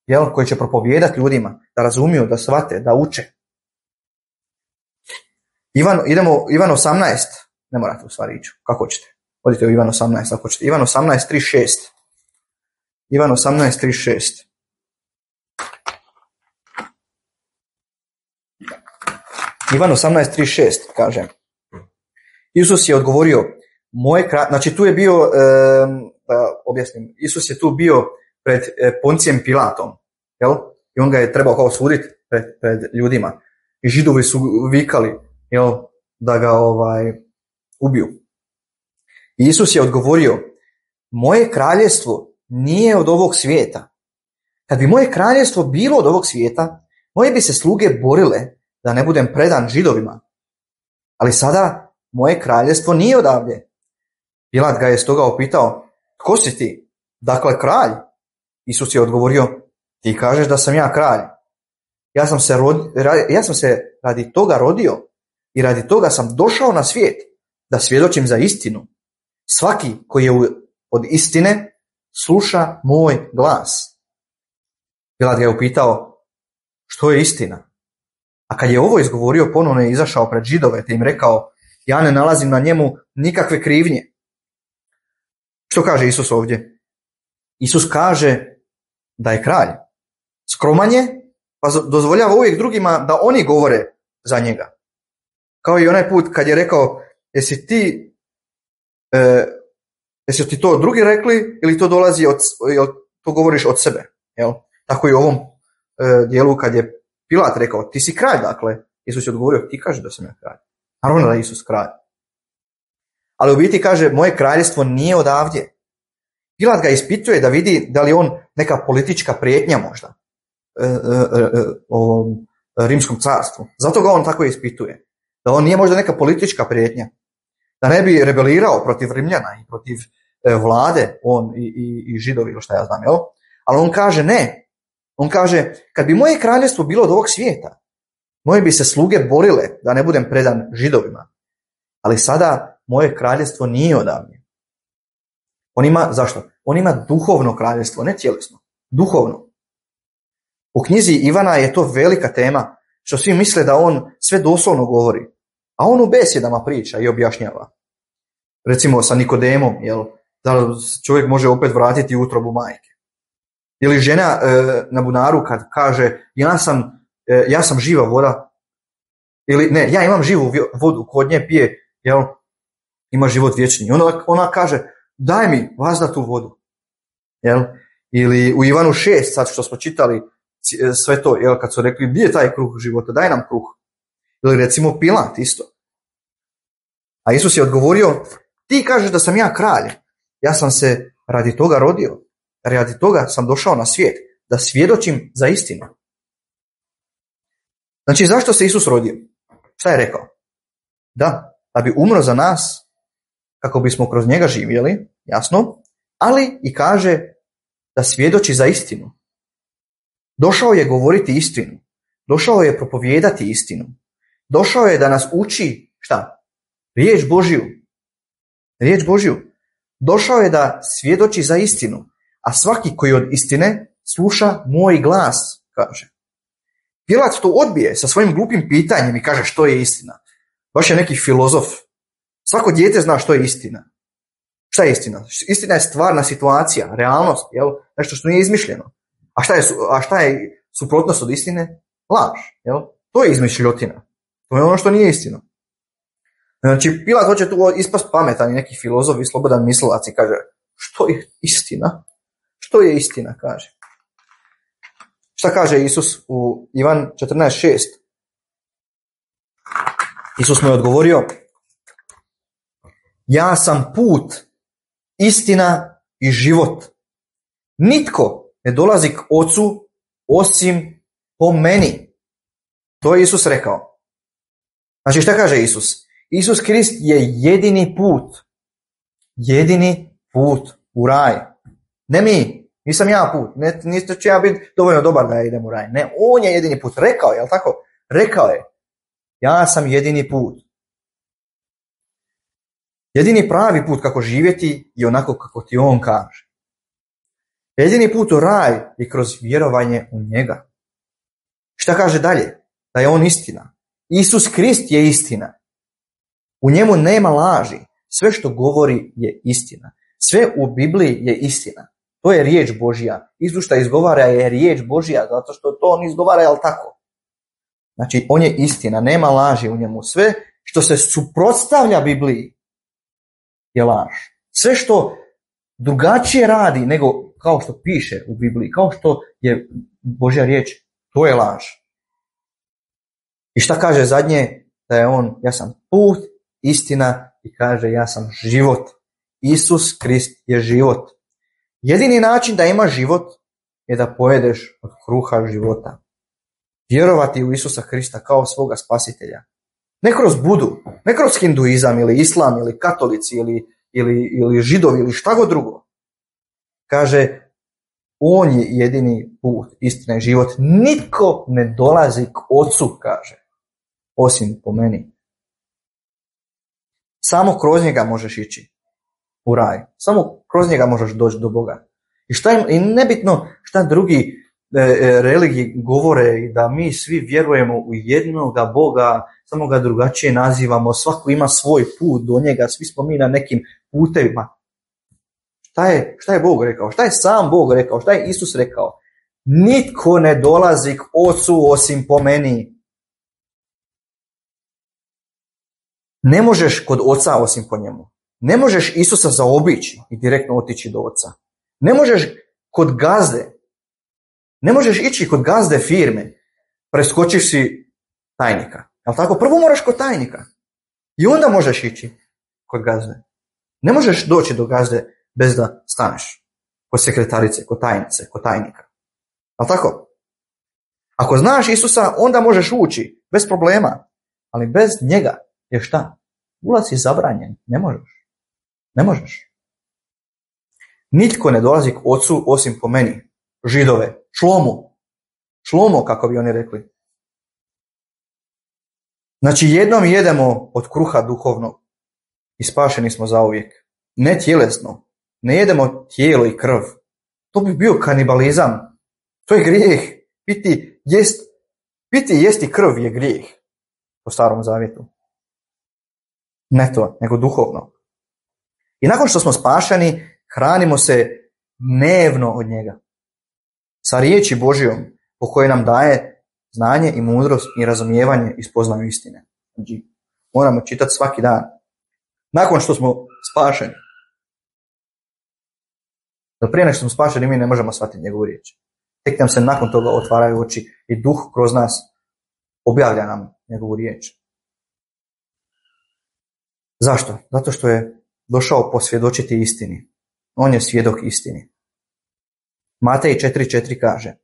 jel, koji će propovijedati ljudima, da razumiju, da shvate, da uče. Ivan, idemo Ivan osamnaest. Ne morate u stvari ići. Kako hoćete? Odite u Ivan osamnaest ako hoćete. Ivan osamnaest trideset šest. Ivan osamnaest trideset šest. Ivan osamnaest trideset šest kaže. Isus je odgovorio, moje kra... znači tu je bio, e, da objasnim, Isus je tu bio pred Poncijem Pilatom, jel? I on ga je trebao kao suditi pred, pred ljudima. I Židovi su vikali, jel, da ga ovaj ubiju. I Isus je odgovorio, moje kraljevstvo nije od ovog svijeta. Kad bi moje kraljevstvo bilo od ovog svijeta, moje bi se sluge borile da ne budem predan Židovima. Ali sada moje kraljevstvo nije odavde. Pilat ga je stoga upitao, tko si ti? Dakle, kralj? Isus je odgovorio, ti kažeš da sam ja kralj. Ja sam se, rod, ja sam se radi toga rodio i radi toga sam došao na svijet da svjedočim za istinu. Svaki koji je od istine sluša moj glas. Pilat ga je upitao, što je istina? A kad je ovo izgovorio, ponovno je izašao pred Židove te im rekao, ja ne nalazim na njemu nikakve krivnje. Što kaže Isus ovdje? Isus kaže da je kralj. Skroman je, pa dozvoljava uvijek drugima da oni govore za njega. Kao i onaj put kad je rekao, jesi ti, e, jesi ti to drugi rekli ili to dolazi od, jel, to govoriš od sebe? Jel? Tako i u ovom e, dijelu kad je Pilat rekao, ti si kralj, dakle. Isus je odgovorio, ti kažeš da sam ja kralj. Naravno da je Isus kralj. Ali u biti kaže, moje kraljevstvo nije odavdje. Pilat ga ispituje da vidi da li on neka politička prijetnja možda e, e, e, o rimskom carstvu. Zato ga on tako ispituje. Da on nije možda neka politička prijetnja. Da ne bi rebelirao protiv Rimljana i protiv e, vlade, on i, i, i Židovi, ili šta ja znam, jel? Ali on kaže ne. On kaže, kad bi moje kraljevstvo bilo od ovog svijeta, moje bi se sluge borile da ne budem predan Židovima. Ali sada moje kraljevstvo nije odavdje. On ima, zašto? On ima duhovno kraljevstvo, ne tjelesno. Duhovno. U knjizi Ivana je to velika tema, što svi misle da on sve doslovno govori. A on u besjedama priča i objašnjava. Recimo sa Nikodemom, jel, da čovjek može opet vratiti u utrobu majke. Ili žena e, na bunaru kad kaže ja sam, e, ja sam živa voda. Ili ne, ja imam živu vodu, kod nje pije, jel, ima život vječni. Ona, ona kaže, daj mi vazda tu vodu. Jel? Ili u Ivanu šest, sad što smo čitali sve to, jel, kad su rekli gdje je taj kruh života, daj nam kruh. Ili recimo Pilat isto. A Isus je odgovorio, ti kažeš da sam ja kralj, ja sam se radi toga rodio, radi toga sam došao na svijet, da svjedočim za istinu. Znači, zašto se Isus rodio? Šta je rekao? Da, da bi umro za nas, kako bismo kroz njega živjeli, jasno, ali i kaže da svjedoči za istinu. Došao je govoriti istinu. Došao je propovijedati istinu. Došao je da nas uči, šta? Riječ Božju. Riječ Božju. Došao je da svjedoči za istinu, a svaki koji od istine sluša moj glas, kaže. Pilat to odbije sa svojim glupim pitanjem i kaže što je istina. Baš je neki filozof. Svako dijete zna što je istina. Šta je istina? Istina je stvarna situacija, realnost, jel? Nešto što nije izmišljeno. A šta je, a šta je suprotnost od istine? Laž, jel? To je izmišljotina. To je ono što nije istina. Znači, Pilat hoće tu ispast pametan i neki filozof i slobodan mislilac i kaže, što je istina? Što je istina, kaže. Šta kaže Isus u Ivan četrnaest šest? Isus mu je odgovorio, ja sam put, istina i život. Nitko ne dolazi k Ocu osim po meni. To je Isus rekao. Znači, šta kaže Isus? Isus Krist je jedini put. Jedini put u raj. Ne mi. Nisam ja put. Ne, niste će ja biti dovoljno dobar da ja idem u raj. Ne, on je jedini put. Rekao je, jel tako? Rekao je. Ja sam jedini put. Jedini pravi put kako živjeti je onako kako ti on kaže. Jedini put u raj je kroz vjerovanje u njega. Šta kaže dalje? Da je on istina. Isus Krist je istina. U njemu nema laži. Sve što govori je istina. Sve u Bibliji je istina. To je riječ Božja. Isus što izgovara je riječ Božja, zato što to on izgovara, jel tako? Znači, on je istina, nema laži u njemu. Sve što se suprotstavlja Bibliji je laž. Sve što drugačije radi nego kao što piše u Bibliji, kao što je Božja riječ, to je laž. I šta kaže zadnje? Da je on, ja sam put, istina i kaže ja sam život. Isus Krist je život. Jedini način da imaš život je da pojedeš od kruha života. Vjerovati u Isusa Krista kao svoga spasitelja. Ne kroz Budu, ne kroz hinduizam ili islam ili katolici ili, ili, ili židovi ili šta god drugo. Kaže, on je jedini put, istina i život. Nitko ne dolazi k Ocu, kaže, osim po meni. Samo kroz njega možeš ići u raj. Samo kroz njega možeš doći do Boga. I, šta im, i nebitno šta drugi e, e, religiji govore i da mi svi vjerujemo u jednoga Boga, samo ga drugačije nazivamo, svako ima svoj put do njega, svi smo mi na nekim putevima. Šta je, šta je Bog rekao? Šta je sam Bog rekao? Šta je Isus rekao? Nitko ne dolazi k Ocu osim po meni. Ne možeš kod Oca osim po njemu. Ne možeš Isusa zaobići i direktno otići do Oca. Ne možeš kod gazde. Ne možeš ići kod gazde firme. Preskočiš si tajnika. Jel tako? Prvo moraš kod tajnika. I onda možeš ići kod gazde. Ne možeš doći do gazde bez da staneš kod sekretarice, kod tajnice, kod tajnika. Jel tako? Ako znaš Isusa, onda možeš ući bez problema. Ali bez njega je šta? Ulaz je zabranjen. Ne možeš. Ne možeš. Nitko ne dolazi k Ocu osim po meni. Židove. Šlomo. Šlomo, kako bi oni rekli. Znači, jednom jedemo od kruha duhovnog i spašeni smo zauvijek. Ne tjelesno. Ne jedemo tijelo i krv. To bi bio kanibalizam. To je grijeh. Piti, jest, piti jesti krv je grijeh. Po Starom Zavjetu. Ne to, nego duhovno. I nakon što smo spašeni, hranimo se dnevno od njega. Sa riječi Božjom, po kojoj nam daje znanje i mudrost i razumijevanje i spoznaju istine. Znači, moramo čitati svaki dan. Nakon što smo spašeni. Da prije nego što smo spašeni mi ne možemo shvatiti njegovu riječ. Tek nam se nakon toga otvaraju oči i duh kroz nas objavlja nam njegovu riječ. Zašto? Zato što je došao posvjedočiti istini. On je svjedok istini. Matej četiri četiri kaže,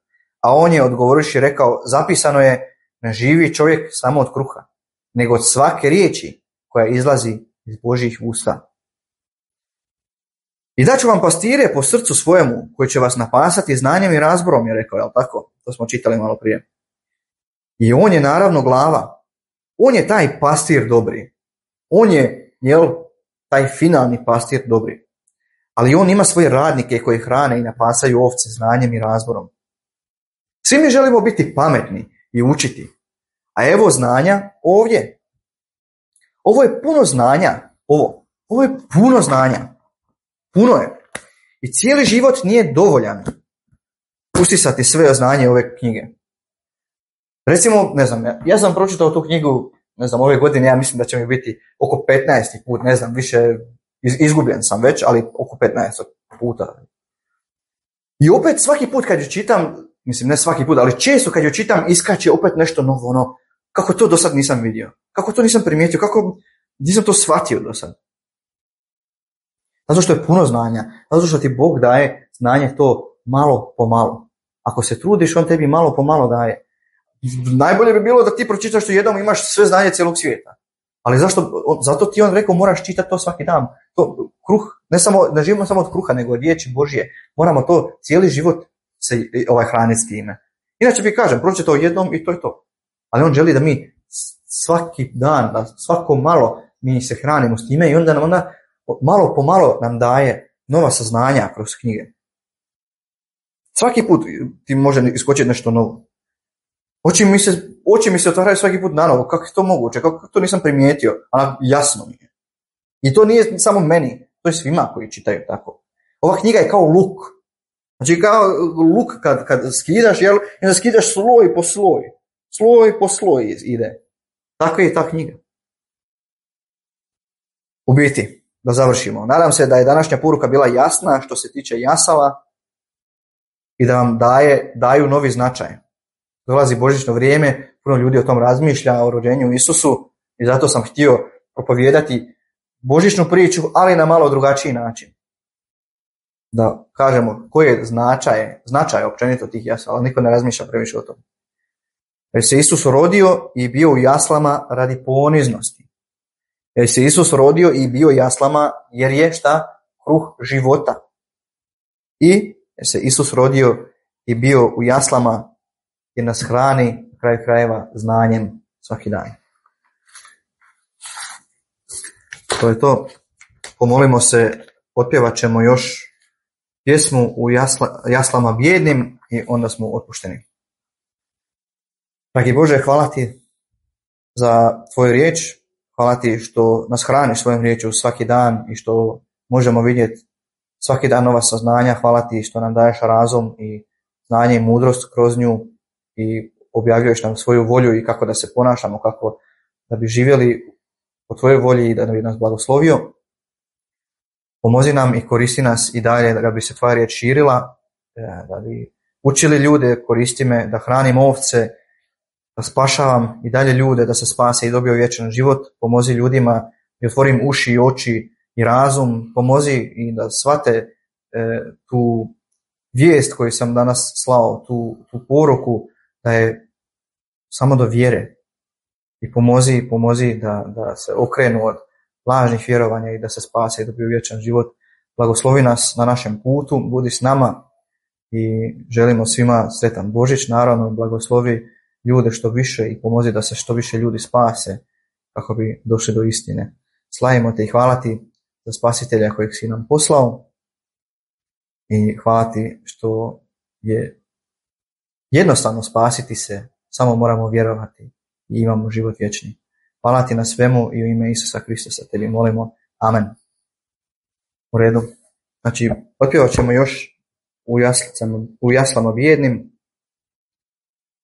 a on je odgovorivši rekao, zapisano je, ne živi čovjek samo od kruha, nego od svake riječi koja izlazi iz Božjih usta. I daću vam pastire po srcu svojemu, koji će vas napasati znanjem i razborom, je rekao, jel tako? To smo čitali malo prije. I on je naravno glava. On je taj pastir dobri. On je, jel, taj finalni pastir dobri. Ali on ima svoje radnike koji hrane i napasaju ovce znanjem i razborom. Svi mi želimo biti pametni i učiti. A evo znanja ovdje. Ovo je puno znanja. Ovo. Ovo je puno znanja. Puno je. I cijeli život nije dovoljan usisati sve znanje ove knjige. Recimo, ne znam, ja, ja sam pročitao tu knjigu, ne znam, ove godine, ja mislim da će mi biti oko petnaesti put, ne znam, više iz, izgubljen sam već, ali oko petnaest puta. I opet svaki put kad ju čitam, mislim ne svaki put, ali često kad ju čitam iskače opet nešto novo, ono, kako to do sad nisam vidio, kako to nisam primijetio, kako nisam to shvatio do sad. Zato što je puno znanja, zato što ti Bog daje znanje to malo po malo. Ako se trudiš, on tebi malo po malo daje. Najbolje bi bilo da ti pročitaš što jednom imaš sve znanje cijelog svijeta. Ali zašto? Zato ti on rekao moraš čitati to svaki dan. To, kruh, ne, samo, ne živimo samo od kruha, nego od riječi Božje. Moramo to cijeli život se ovaj, hraniti s time. Inače bi kažem, pročitao jednom i to je to. Ali on želi da mi svaki dan, da svako malo mi se hranimo s time i onda nam onda malo po malo nam daje nova saznanja kroz knjige. Svaki put ti može iskočiti nešto novo. Oči mi se, oči mi se otvaraju svaki put na novo. Kako je to moguće? Kako to nisam primijetio? Ali jasno mi je. I to nije samo meni. To je svima koji čitaju tako. Ova knjiga je kao luk. Znači kao luk kad, kad skidaš, jel? I onda skidaš sloj po sloj. Sloj po sloj ide. Tako je ta knjiga. U biti, da završimo. Nadam se da je današnja poruka bila jasna što se tiče jasala i da vam daje, daju novi značaj. Dolazi božićno vrijeme, puno ljudi o tom razmišlja, o rođenju Isusu i zato sam htio propovijedati božićnu priču, ali na malo drugačiji način. Da kažemo koji je značaj, značaj općenito tih jasala, niko ne razmišlja previše o tom. Jer se Isus rodio i bio u jaslama radi poniznosti. Jer se Isus rodio i bio u jaslama jer je šta? Kruh života. I jer se Isus rodio i bio u jaslama jer nas hrani kraj krajeva znanjem svaki dan. To je to. Pomolimo se, otpjevat ćemo još pjesmu u jasla, jaslama bijednim i onda smo otpušteni. Dragi Bože, hvala ti za tvoju riječ, hvala ti što nas hraniš svojom riječju svaki dan i što možemo vidjeti svaki dan nova saznanja, hvala ti što nam daješ razum i znanje i mudrost kroz nju i objavljuješ nam svoju volju i kako da se ponašamo, kako da bi živjeli po tvojoj volji i da bi nas blagoslovio. Pomozi nam i koristi nas i dalje da bi se tvoja riječ širila, da bi učili ljude, koristi me da hranim ovce, da spašavam i dalje ljude, da se spase i dobiju vječan život. Pomozi ljudima i otvorim uši i oči i razum. Pomozi i da shvate e, tu vijest koju sam danas slao, tu, tu poruku da je samo do vjere. I pomozi, pomozi da, da se okrenu od lažnih vjerovanja i da se spase i dobiju vječan život. Blagoslovi nas na našem putu, budi s nama i želimo svima sretan Božić. Naravno, blagoslovi ljude što više i pomozi da se što više ljudi spase kako bi došli do istine. Slavimo te i hvala ti za spasitelja kojeg si nam poslao i hvala ti što je jednostavno spasiti se, samo moramo vjerovati i imamo život vječni. Hvala ti na svemu i u ime Isusa Kristusa tebi molimo. Amen. U redu. Znači, otpjevat ćemo još u jaslama, u jaslama bijednim.